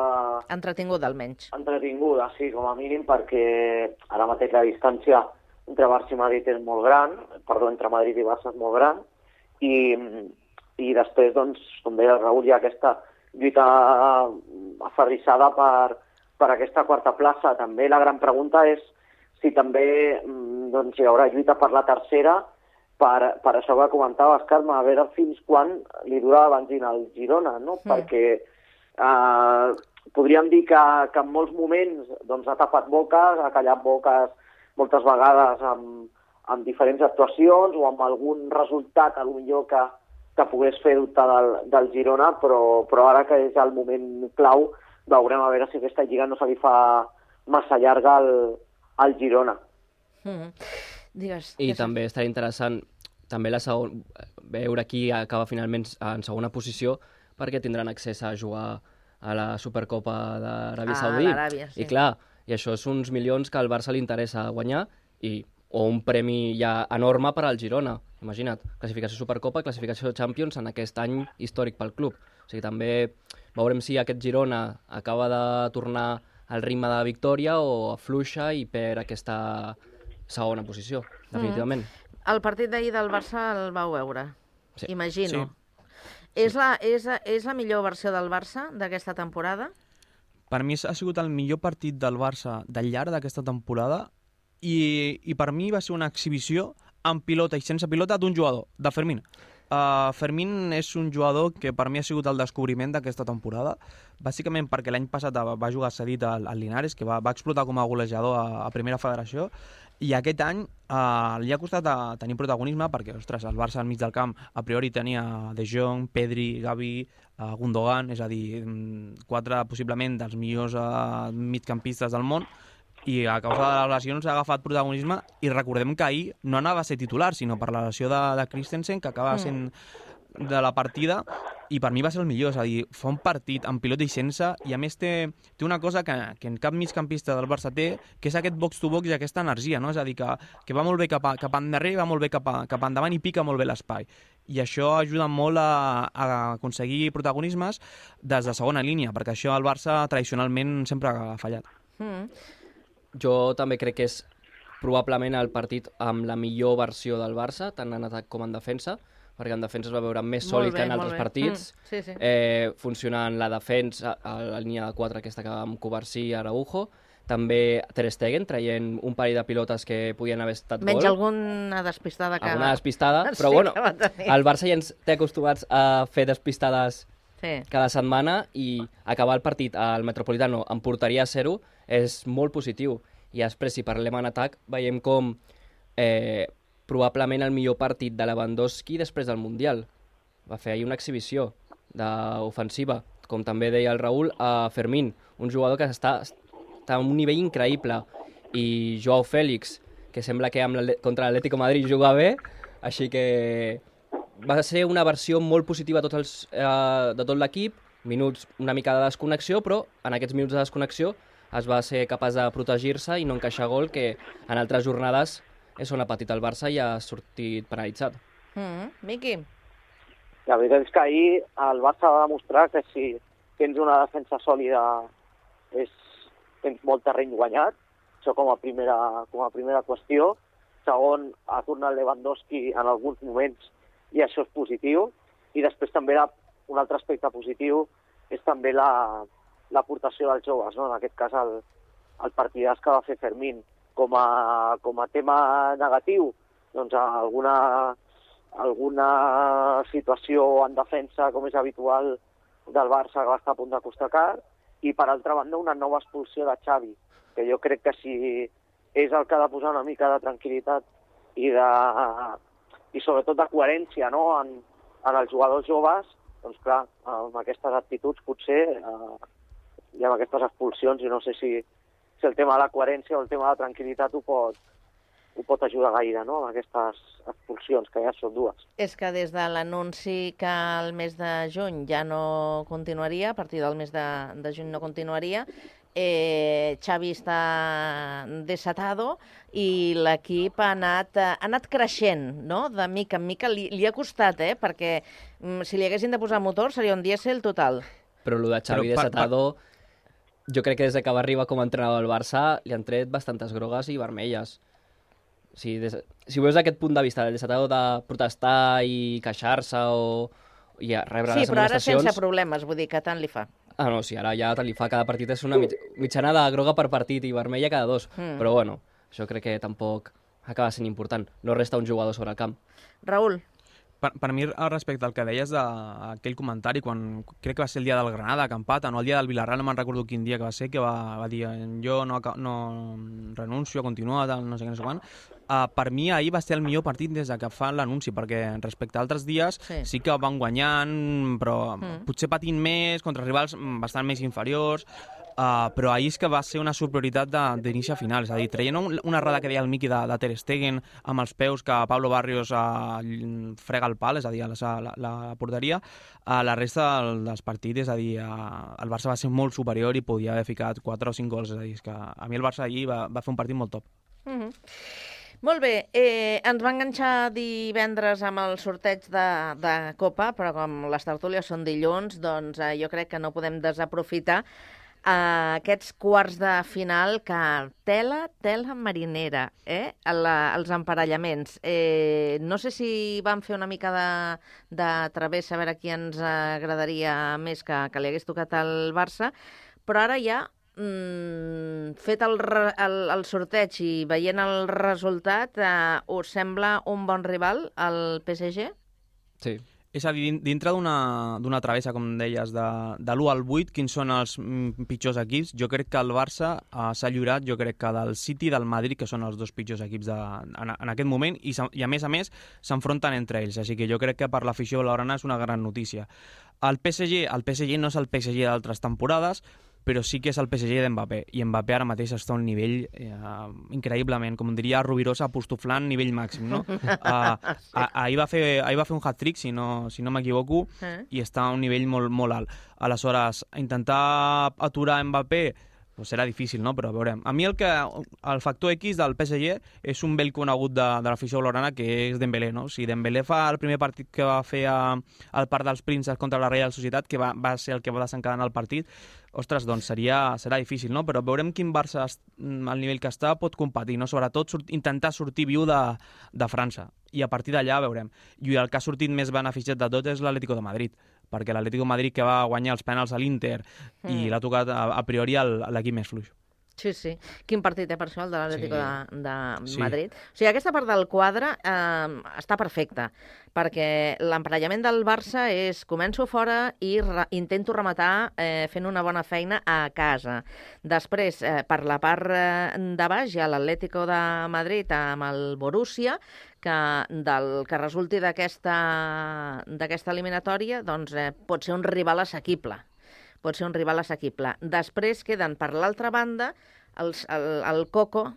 Entretinguda, almenys. Entretinguda, sí, com a mínim, perquè ara mateix la distància entre Barça i Madrid és molt gran, entre Madrid i Barça és molt gran, i després, doncs, com deia el Raül, hi ha aquesta lluita aferrissada per aquesta quarta plaça. També la gran pregunta és si també doncs, hi haurà lluita per la tercera, per això que comentaves, Carme, a veure fins quan li dura la benzina al Girona, no? Perquè podríem dir que en molts moments doncs, ha tapat boques, ha callat boques moltes vegades amb diferents actuacions o amb algun resultat, potser que pogués fer dubtar del Girona, però ara que és el moment clau, veurem a veure si aquesta lliga no se li fa massa llarga al Girona. Digues. I també estarà interessant també veure qui acaba finalment en segona posició, perquè tindran accés a jugar a la Supercopa d'Aràbia Saudita. Sí. I clar, i això és uns milions que al Barça li interessa guanyar o un premi ja enorme per al Girona. Imagina't, classificació Supercopa, classificació Champions en aquest any històric pel club. O sigui, també veurem si aquest Girona acaba de tornar al ritme de victòria o afluixa i perd aquesta segona posició, definitivament. El partit d'ahir del Barça el vau veure, sí. Imagino. Sí. És la millor versió del Barça d'aquesta temporada? Per mi ha sigut el millor partit del Barça del llarg d'aquesta temporada i per mi va ser una exhibició amb pilota i sense pilota d'un jugador, de Fermín. Fermín és un jugador que per mi ha sigut el descobriment d'aquesta temporada, bàsicament perquè l'any passat va jugar cedit al Linares, que va explotar com a golejador a Primera Federació, i aquest any li ha costat tenir protagonisme perquè, ostres, el Barça al mig del camp a priori tenia De Jong, Pedri, Gavi, Gundogan, és a dir, 4 possiblement dels millors migcampistes del món, i a causa de les lesions ha agafat protagonisme, i recordem que ahir no anava a ser titular, sinó per la lesió de Christensen, que acaba sent de la partida, i per mi va ser el millor, és a dir, fa un partit amb pilota i sense, i a més té una cosa que en cap migcampista del Barça té, que és aquest box-to-box i aquesta energia, no? És a dir, que va molt bé cap endarrere, va molt bé cap endavant i pica molt bé l'espai. I això ajuda molt a aconseguir protagonismes des de segona línia, perquè això el Barça tradicionalment sempre ha fallat. Jo també crec que és probablement el partit amb la millor versió del Barça, tant en atac com en defensa, perquè en defensa es va veure més sòlid que en altres partits. Sí, sí. Funcionant la defensa, a la línia de 4 aquesta que va amb Covarsí i Araujo, també Ter Stegen traient un parell de pilotes que podien haver estat gol. Menys alguna despistada que... Alguna despistada, Sí, però bueno, que va tenir. el Barça ja ens té acostumats a fer despistades cada setmana i acabar el partit al Metropolitano amb porteria 0 és molt positiu. I després, si parlem en atac, veiem com probablement el millor partit de Lewandowski després del Mundial. Va fer ahir una exhibició ofensiva, com també deia el Raül, a Fermín, un jugador que està a un nivell increïble, i Joao Félix, que sembla que contra l'Atlético Madrid juga bé, així que va ser una versió molt positiva de tot l'equip, minuts una mica de desconnexió, però en aquests minuts de desconnexió es va ser capaç de protegir-se i no encaixar gol, que en altres jornades és on ha patit el Barça i ha sortit penalitzat. Miqui? La veritat és que ahir el Barça va demostrar que si tens una defensa sòlida tens molt terreny guanyat, això com a primera qüestió. Segon, ha tornat Lewandowski en alguns moments i això és positiu. I després també un altre aspecte positiu és també l'aportació dels joves, no? En aquest cas el partidàs que va fer Fermín. Com a tema negatiu, doncs alguna situació en defensa, com és habitual, del Barça que va estar a punt de costar car, i per altra banda una nova expulsió de Xavi, que jo crec que si és el que ha de posar una mica de tranquil·litat i sobretot de coherència, no? en els jugadors joves, doncs clar, amb aquestes actituds potser i amb aquestes expulsions, i no sé si el tema de la coherència o el tema de la tranquil·litat ho pot ajudar gaire, no?, amb aquestes expulsions, que ja són dues. És que des de l'anunci que el mes de juny ja no continuaria, a partir del mes de juny no continuaria, Xavi està desatado i l'equip ha anat creixent, no?, de mica en mica. Li ha costat, perquè si li haguessin de posar motor seria un dièsel total. Però el de Xavi desatado... Jo crec que des que va arribar com a entrenador del Barça li han tret bastantes grogues i vermelles. Si veus aquest punt de vista del desatador de protestar i queixar-se i rebre les amonestacions... Sí, però ara sense problemes, vull dir que tant li fa. Ah, no, sí, ara ja tant li fa. Cada partit és una mitjana de groga per partit i vermella cada 2. Però bueno, això crec que tampoc acaba sent important. No resta un jugador sobre el camp. Raül. Per mi, respecte al que deies d'aquell comentari, quan crec que va ser el dia del Granada, que empata, no el dia del Villarreal, no me'n recordo quin dia que va ser, que va dir jo no renuncio a continuar, no sé què, no sé quan. Per mi ahir va ser el millor partit des que fan l'anunci, perquè respecte a altres dies sí que van guanyant, però potser patint més, contra rivals bastant més inferiors, però ahir és que va ser una superioritat d'inici a final, és a dir, traient una errada que deia el Miqui de Ter Stegen amb els peus que Pablo Barrios frega el pal, és a dir, la porteria, la resta dels partits, és a dir, el Barça va ser molt superior i podia haver ficat 4 o 5 gols, és a dir, és que a mi el Barça ahir va fer un partit molt top. Molt bé, ens va enganxar divendres amb el sorteig de Copa, però com les tertúlies són dilluns, doncs jo crec que no podem desaprofitar aquests quarts de final que tela marinera, els emparellaments. No sé si vam fer una mica de travessa a veure qui ens agradaria més que li hagués tocat al Barça, però ara ja, fet el sorteig i veient el resultat, us sembla un bon rival, el PSG? Sí. És a dir, dintre d'una travessa, com deies, de l'1 al 8, quins són els pitjors equips? Jo crec que el Barça s'ha lliurat, jo crec que del City i del Madrid, que són els dos pitjors equips en aquest moment, i a més s'enfronten entre ells, així que jo crec que per l'afició blaugrana és una gran notícia. El PSG no és el PSG d'altres temporades, però sí que és el PSG d'Mbappé, i Mbappé ara mateix està a un nivell increïblement, com diria Rubirosa, apostoflant nivell màxim, no? Ahir va fer un hat-trick, si no m'equivoco, i està a un nivell molt, molt alt. Aleshores, intentar aturar Mbappé pues serà difícil, no? Però veurem. A mi el factor X del PSG és un vell conegut de l'afició blaugrana, que és Dembélé, no? Si Dembélé fa el primer partit que va fer al Parc dels Prínceps contra la Real Societat, que va ser el que va desencadenar el partit, ostres, doncs serà difícil, no? Però veurem quin Barça, al nivell que està, pot competir, no? Sobretot intentar sortir viu de França. I a partir d'allà veurem. I el que ha sortit més beneficiat de tot és l'Atlético de Madrid, perquè l'Atlético de Madrid, que va guanyar els penals a l'Inter i l'ha tocat a priori l'equip més fluix. Sí, sí. Quin partit per això, el de l'Atlético de Madrid? O sigui, aquesta part del quadre està perfecta, perquè l'emparellament del Barça és començo fora i intento rematar fent una bona feina a casa. Després, per la part de baix, hi ha l'Atlético de Madrid amb el Borussia, que del que resulti d'aquesta eliminatòria doncs, pot ser un rival assequible. Després queden per l'altra banda el Coco,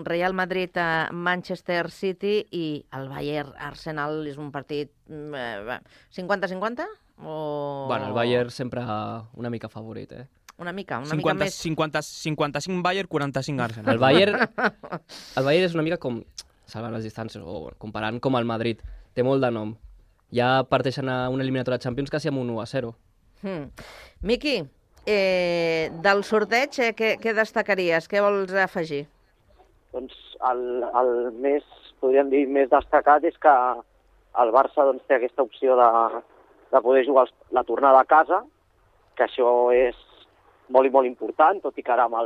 Real Madrid, Manchester City i el Bayern Arsenal. És un partit 50-50? Bueno, el Bayern sempre una mica favorit, Una mica 50, més... 55 Bayern, 45 Arsenal. El Bayern és una mica com, salvant les distàncies, o comparant com el Madrid. Té molt de nom. Ja parteixen a una eliminatòria de Champions quasi amb un 1-0. Miqui, del sorteig, què destacaries? Què vols afegir? Doncs el més, podríem dir, més destacat és que el Barça doncs, té aquesta opció de poder jugar la tornada a casa, que això és molt i molt important, tot i que ara amb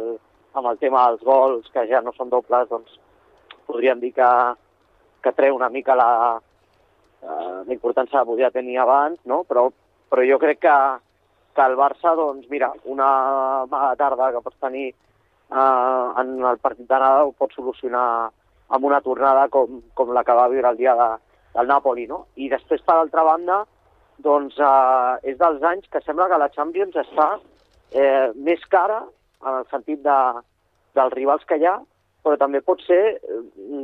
el tema dels gols, que ja no són dobles, doncs podríem dir que treu una mica la importància que podia tenir abans, no? Però jo crec que el Barça, doncs mira, una mala tarda que pots tenir en el partit d'anada ho pot solucionar amb una tornada com la que va viure el dia del Napoli, no? I després, per altra banda, doncs és dels anys que sembla que la Champions està més cara en el sentit dels rivals que hi ha, però també pot ser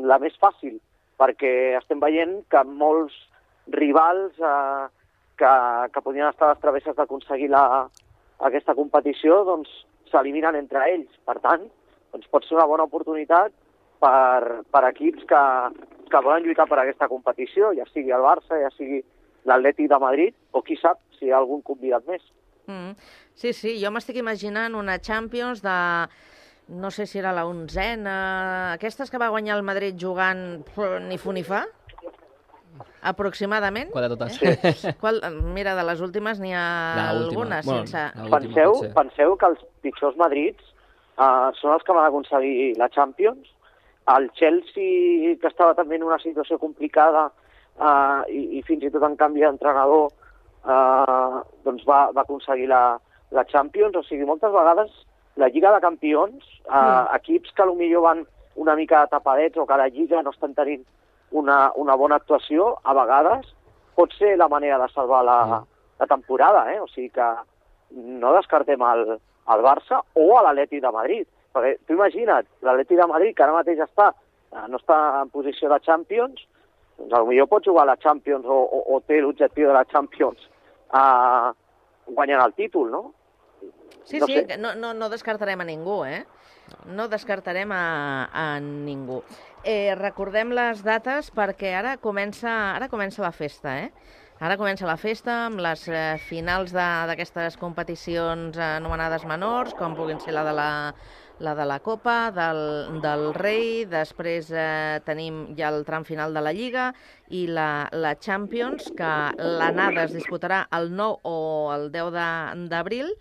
la més fàcil, perquè estem veient que molts rivals que podien estar a les travesses d'aconseguir aquesta competició doncs s'eliminen entre ells. Per tant, doncs pot ser una bona oportunitat per equips que volen lluitar per aquesta competició, ja sigui el Barça, ja sigui l'Atlètic de Madrid, o qui sap si hi ha algun convidat més. Sí, jo m'estic imaginant una Champions de... no sé si era la 11ª, aquestes que va guanyar el Madrid jugant ni fu ni fa, aproximadament. Qual de totes? Sí. Mira, de les últimes n'hi ha algunes. Penseu que els pitjors Madrids són els que van aconseguir la Champions. El Chelsea, que estava també en una situació complicada i fins i tot en canvi d'entrenador, doncs va aconseguir la Champions. O sigui, moltes vegades la Lliga de Campions, equips que potser van una mica tapadets o que a la Lliga no estan tenint una bona actuació, a vegades pot ser la manera de salvar la temporada, O sigui que no descartem el Barça o a l'Atlètic de Madrid. Perquè tu imagina't, l'Atlètic de Madrid, que ara mateix no està en posició de Champions, doncs potser pot jugar a la Champions o té l'objectiu de la Champions guanyant el títol, no? Sí, no descartarem a ningú, No descartarem a ningú. Recordem les dates perquè ara comença la festa, Ara comença la festa amb les finals d'aquestes competicions anomenades menors, com puguin ser la de la Copa, del Rei, després tenim ja el tram final de la Lliga i la Champions, que l'anada es disputarà el 9 o el 10 d'abril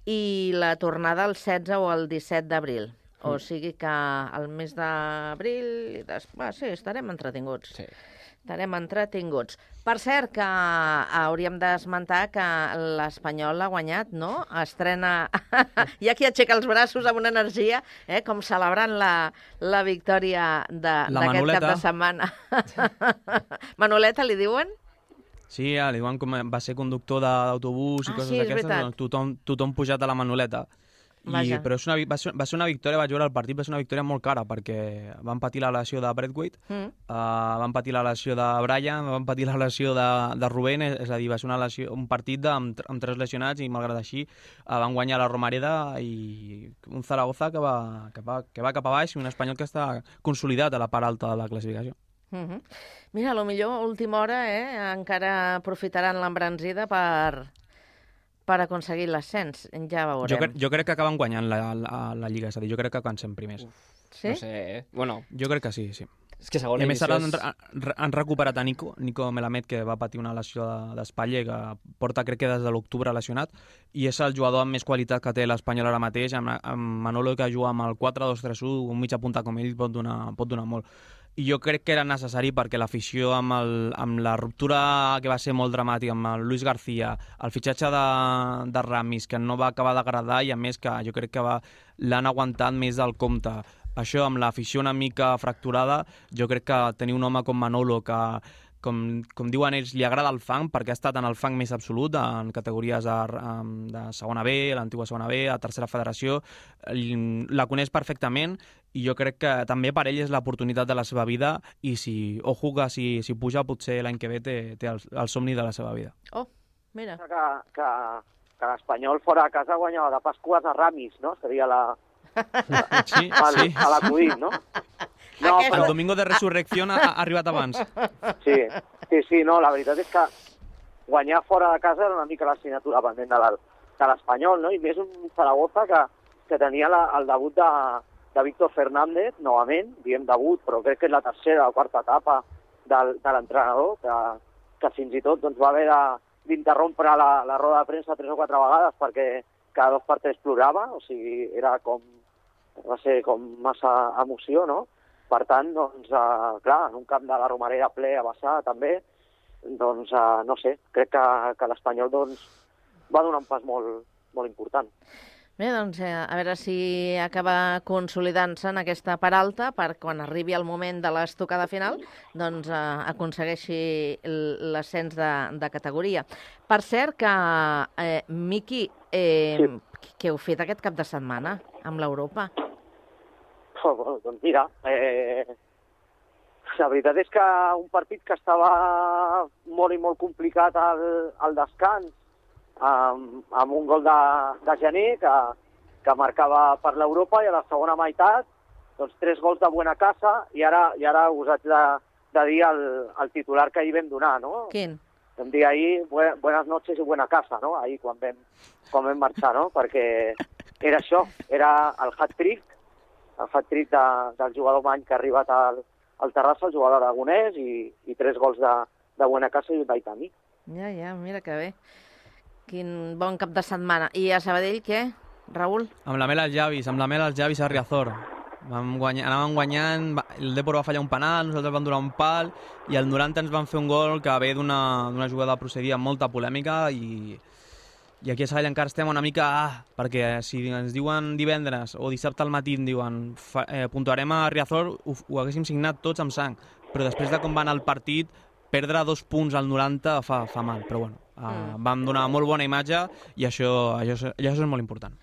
i la tornada el 16 o el 17 d'abril. O sigui que el mes d'abril... Sí, estarem entretinguts. Sí. Estarem entretinguts. Per cert, que hauríem d'esmentar que l'Espanyol ha guanyat, no? Estrena... Hi ha qui aixeca els braços amb una energia, com celebrant la victòria d'aquest cap de setmana. Manoleta, li diuen? Sí, li diuen com va ser conductor d'autobús i coses d'aquestes. Tothom pujat a la Manoleta. Vaja. Però va ser una victòria, vaig veure el partit, va ser una victòria molt cara, perquè van patir la lesió de Braithwaite, van patir la lesió de Brian, van patir la lesió de Rubén, és a dir, va ser un partit amb 3 lesionats i, malgrat així, van guanyar la Romareda i un Zaragoza que va cap a baix i un Espanyol que està consolidat a la part alta de la classificació. Mira, a lo millor, a última hora, encara aprofitaran l'embranzida per aconseguir l'ascens, ja veurem. Jo crec que acaben guanyant la Lliga, és a dir, jo crec que acaben sent primers. Sí? No sé, bueno... Jo crec que sí. És que segona I a més divisió han recuperat a Nico Melamed, que va patir una lesió d'espatlla i que porta, crec que des de l'octubre lesionat, i és el jugador amb més qualitat que té l'Espanyol ara mateix, amb Manolo, que juga amb el 4-2-3-1, un mitja punta com ell pot donar molt. I jo crec que era necessari perquè l'afició amb la ruptura que va ser molt dramàtica amb el Luis García, el fitxatge de Ramis, que no va acabar d'agradar, i a més que jo crec que l'han aguantat més del compte. Això, amb l'afició una mica fracturada, jo crec que tenir un home com Manolo, que com diuen ells, li agrada el fang, perquè ha estat en el fang més absolut, en categories de segona B, l'antiga segona B, a tercera federació, la coneix perfectament, i jo crec que també per ell és l'oportunitat de la seva vida, i si puja, potser l'any que ve té el somni de la seva vida. Oh, mira. Que l'Espanyol fora de casa guanyava de Pasquas a Ramis, no? Seria Sí. a l'acudit, no? No, però el Domingo de Resurrección ha arribat abans. Sí, no, la veritat és que guanyar fora de casa era una mica l'assignatura pendent de l'Espanyol, no? I més un Zaragoza que tenia el debut de Víctor Fernández, novament, diem debut, però crec que és la tercera o quarta etapa de l'entrenador, que fins i tot doncs, va haver d'interrompre la roda de premsa 3 o 4 vegades perquè cada 2 per 3 plorava, o sigui, va ser com massa emoció, no? Per tant, doncs, clar, en un camp de la Romareda ple a vessar també, doncs, no sé, crec que l'Espanyol doncs, va donar un pas molt, molt important. Bé, doncs, a veure si acaba consolidant-se en aquesta part alta per quan arribi el moment de l'estocada final, doncs aconsegueixi l'ascens de categoria. Per cert que, Miqui, què heu fet aquest cap de setmana amb l'Europa? Doncs mira, la veritat és que un partit que estava molt i molt complicat al descans, amb un gol de Gené que marcava per l'Europa, i a la segona meitat doncs 3 gols de Buena Casa, i ara us haig de dir el titular que ahir vam donar, no? Quin? Vam dir ahir buenas noches i buena casa, no? Ahir quan vam marxar, no? Perquè era això, era el hat-trick del jugador Many que ha arribat al Terrassa, el jugador aragonès, i 3 gols de Buena Casa i un d'Aitami. Ja, mira que bé. Quin bon cap de setmana. I a Sabadell, què, Raül? Amb la mel als llavis a Riazor. Anàvem guanyant, el Depor va fallar un penal, nosaltres vam donar un pal, i al 90 ens van fer un gol que ve d'una jugada procedia amb molta polèmica, i aquí a Sabadell encara estem una mica... perquè si ens diuen divendres o dissabte al matí, diuen puntuarem a Riazor, ho haguéssim signat tots amb sang, però després de com va anar el partit, perdre 2 punts al 90 fa mal, però bueno, vam donar molt bona imatge, i això és molt important.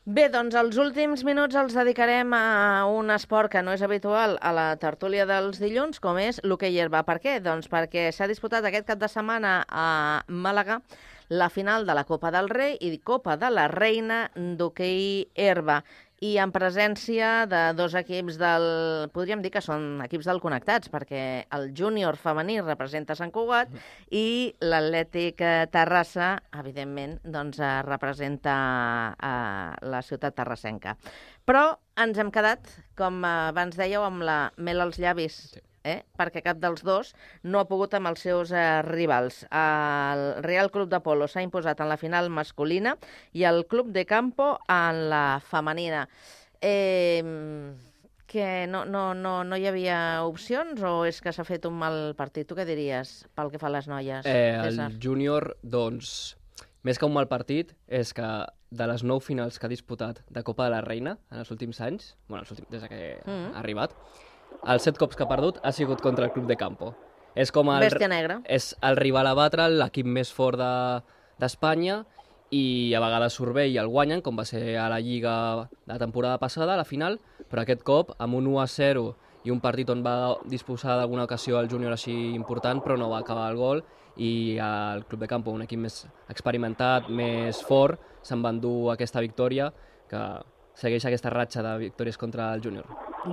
Bé, doncs els últims minuts els dedicarem a un esport que no és habitual a la tertúlia dels dilluns, com és l'hoquei herba. Per què? Doncs perquè s'ha disputat aquest cap de setmana a Màlaga la final de la Copa del Rei i Copa de la Reina d'hoquei herba, i en presència de 2 equips podríem dir que són equips del Connectats, perquè el júnior femení representa Sant Cugat i l'Atlètic Terrassa, evidentment, doncs representa la ciutat terrassenca. Però ens hem quedat, com abans dèieu, amb la mel als llavis, perquè cap dels dos no ha pogut amb els seus rivals. El Real Club de Polo s'ha imposat en la final masculina i el Club de Campo en la femenina. Que no hi havia opcions o és que s'ha fet un mal partit? Tu què diries pel que fa a les noies? El júnior, doncs, més que un mal partit, és que de les 9 finals que ha disputat de Copa de la Reina en els últims anys, des que ha arribat, els 7 cops que ha perdut ha sigut contra el Club de Campo. És com Bèstia negra. És el rival a batre, l'equip més fort d'Espanya, i a vegades surt bé i el guanyen, com va ser a la Lliga de la temporada passada, a la final, però aquest cop, amb un 1-0 i un partit on va disposar d'alguna ocasió el júnior així important, però no va acabar el gol, i el Club de Campo, un equip més experimentat, més fort, se'n va endur aquesta victòria, que segueix aquesta ratxa de victòries contra el júnior.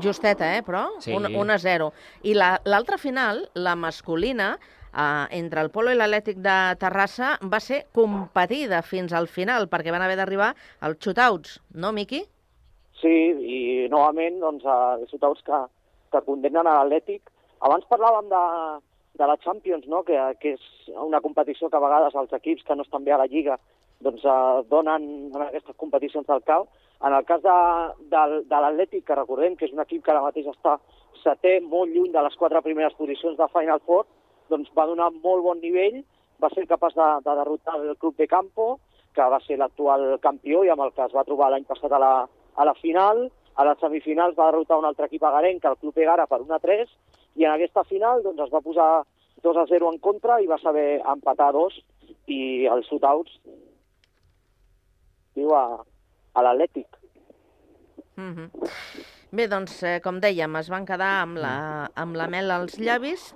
Justeta, però? Sí. 1-0. I l'altra final, la masculina, entre el Polo i l'Atlètic de Terrassa, va ser competida fins al final, perquè van haver d'arribar als shootouts, no, Miqui? Sí, i novament, doncs, shootouts que condemnen a l'Atlètic. Abans parlàvem de la Champions, no? que és una competició que a vegades els equips que no estan bé a la Lliga doncs, donen en aquestes competicions del CAO. En el cas de l'Atlètic, que recordem que és un equip que ara mateix està setè, molt lluny de les 4 primeres posicions de Final Four, doncs va donar molt bon nivell, va ser capaç de derrotar el Club de Campo, que va ser l'actual campió i amb el que es va trobar l'any passat a la final. A les semifinals va derrotar un altre equip agarenc, el Club Egara, per 1-3, i en aquesta final doncs, es va posar 2-0 en contra i va saber empatar 2, i els shootouts diu a l'Atlètic. Bé, doncs, com dèiem, es van quedar amb la mel als llavis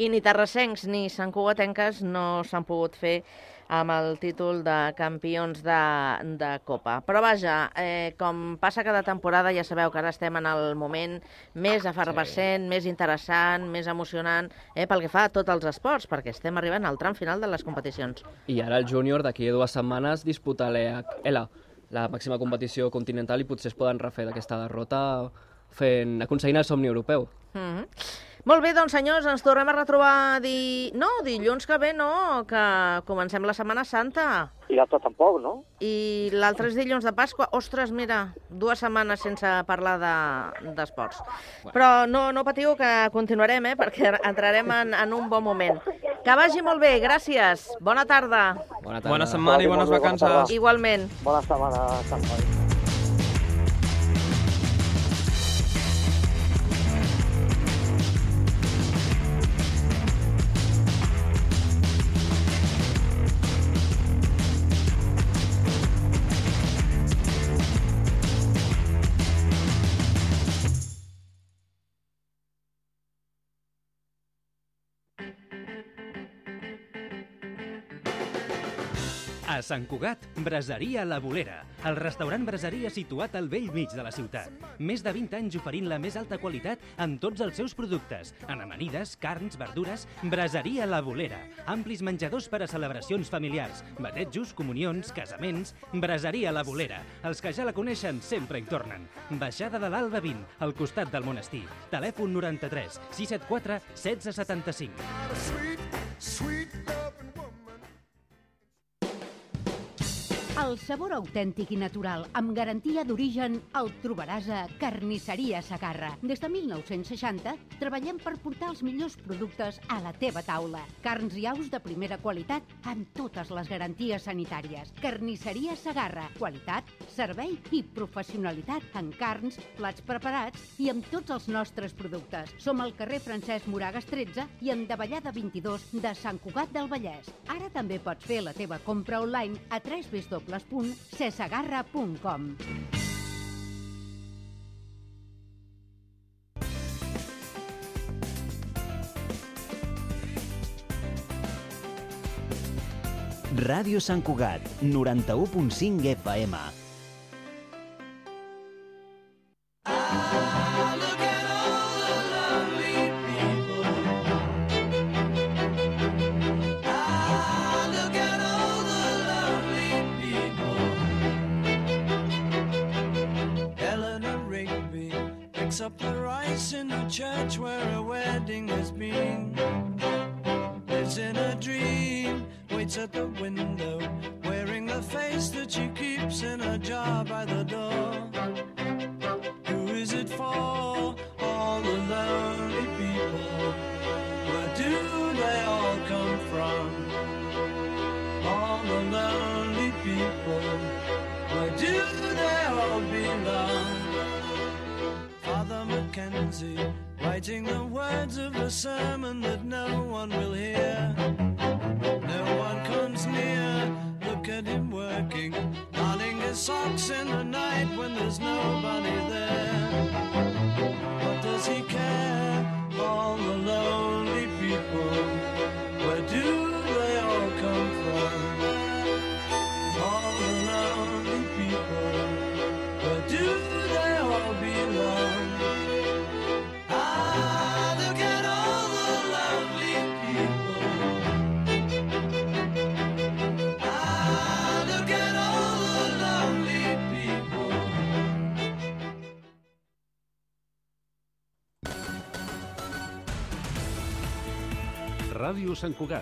i ni terrassencs ni santcugatenques no s'han pogut fer amb el títol de campions de Copa. Però vaja, com passa cada temporada, ja sabeu que ara estem en el moment més efervescent, més interessant, més emocionant, pel que fa a tots els esports, perquè estem arribant al tram final de les competicions. I ara el júnior d'aquí a 2 setmanes disputa l'EHL, la màxima competició continental, i potser es poden refer d'aquesta derrota aconseguint el somni europeu. Molt bé, doncs senyors, ens tornem a retrobar dilluns que ve, no? Que comencem la Setmana Santa. I l'altre tampoc, no? I l'altre és dilluns de Pasqua. Ostres, mira, 2 setmanes sense parlar d'esports. Però no patiu que continuarem, perquè entrarem en un bon moment. Que vagi molt bé, gràcies. Bona tarda. Bona setmana i bones vacances. Igualment. Bona setmana, Sant Pau. A Sant Cugat, Braseria La Bolera, el restaurant braseria situat al vell mig de la ciutat. Més de 20 anys oferint la més alta qualitat en tots els seus productes, en amanides, carns, verdures. Braseria La Bolera, amplis menjadors per a celebracions familiars, batejos, comunions, casaments. Braseria La Bolera, els que ja la coneixen sempre hi tornen. Baixada de l'Alba 20, al costat del monestir. Telèfon 93 674 1675. El sabor autèntic i natural, amb garantia d'origen, el trobaràs a Carnisseria Segarra. Des de 1960 treballem per portar els millors productes a la teva taula. Carns i aus de primera qualitat amb totes les garanties sanitàries. Carnisseria Segarra. Qualitat, servei i professionalitat en carns, plats preparats i amb tots els nostres productes. Som al carrer Francesc Moragas 13 i en Davallada 22 de Sant Cugat del Vallès. Ara també pots fer la teva compra online a www.cesegarra.com. Ràdio Sant Cugat, 91.5 FM. Up the rice in the church where a wedding has been. Lives in a dream, waits at the window, wearing the face that she keeps in a jar by the door. Who is it for? All the lonely people. Where do they all come from? All the lonely people. Where do they all belong? Father Mackenzie, writing the words of a sermon that no one will hear. No one comes near, look at him socks in the night when there's nobody there. What does he care? All the lonely people, where do they all come from? All the lonely people, where do they all belong? Ah, look at all the lonely people. Ah, look at all the lonely people. Ràdio Sant Cugat,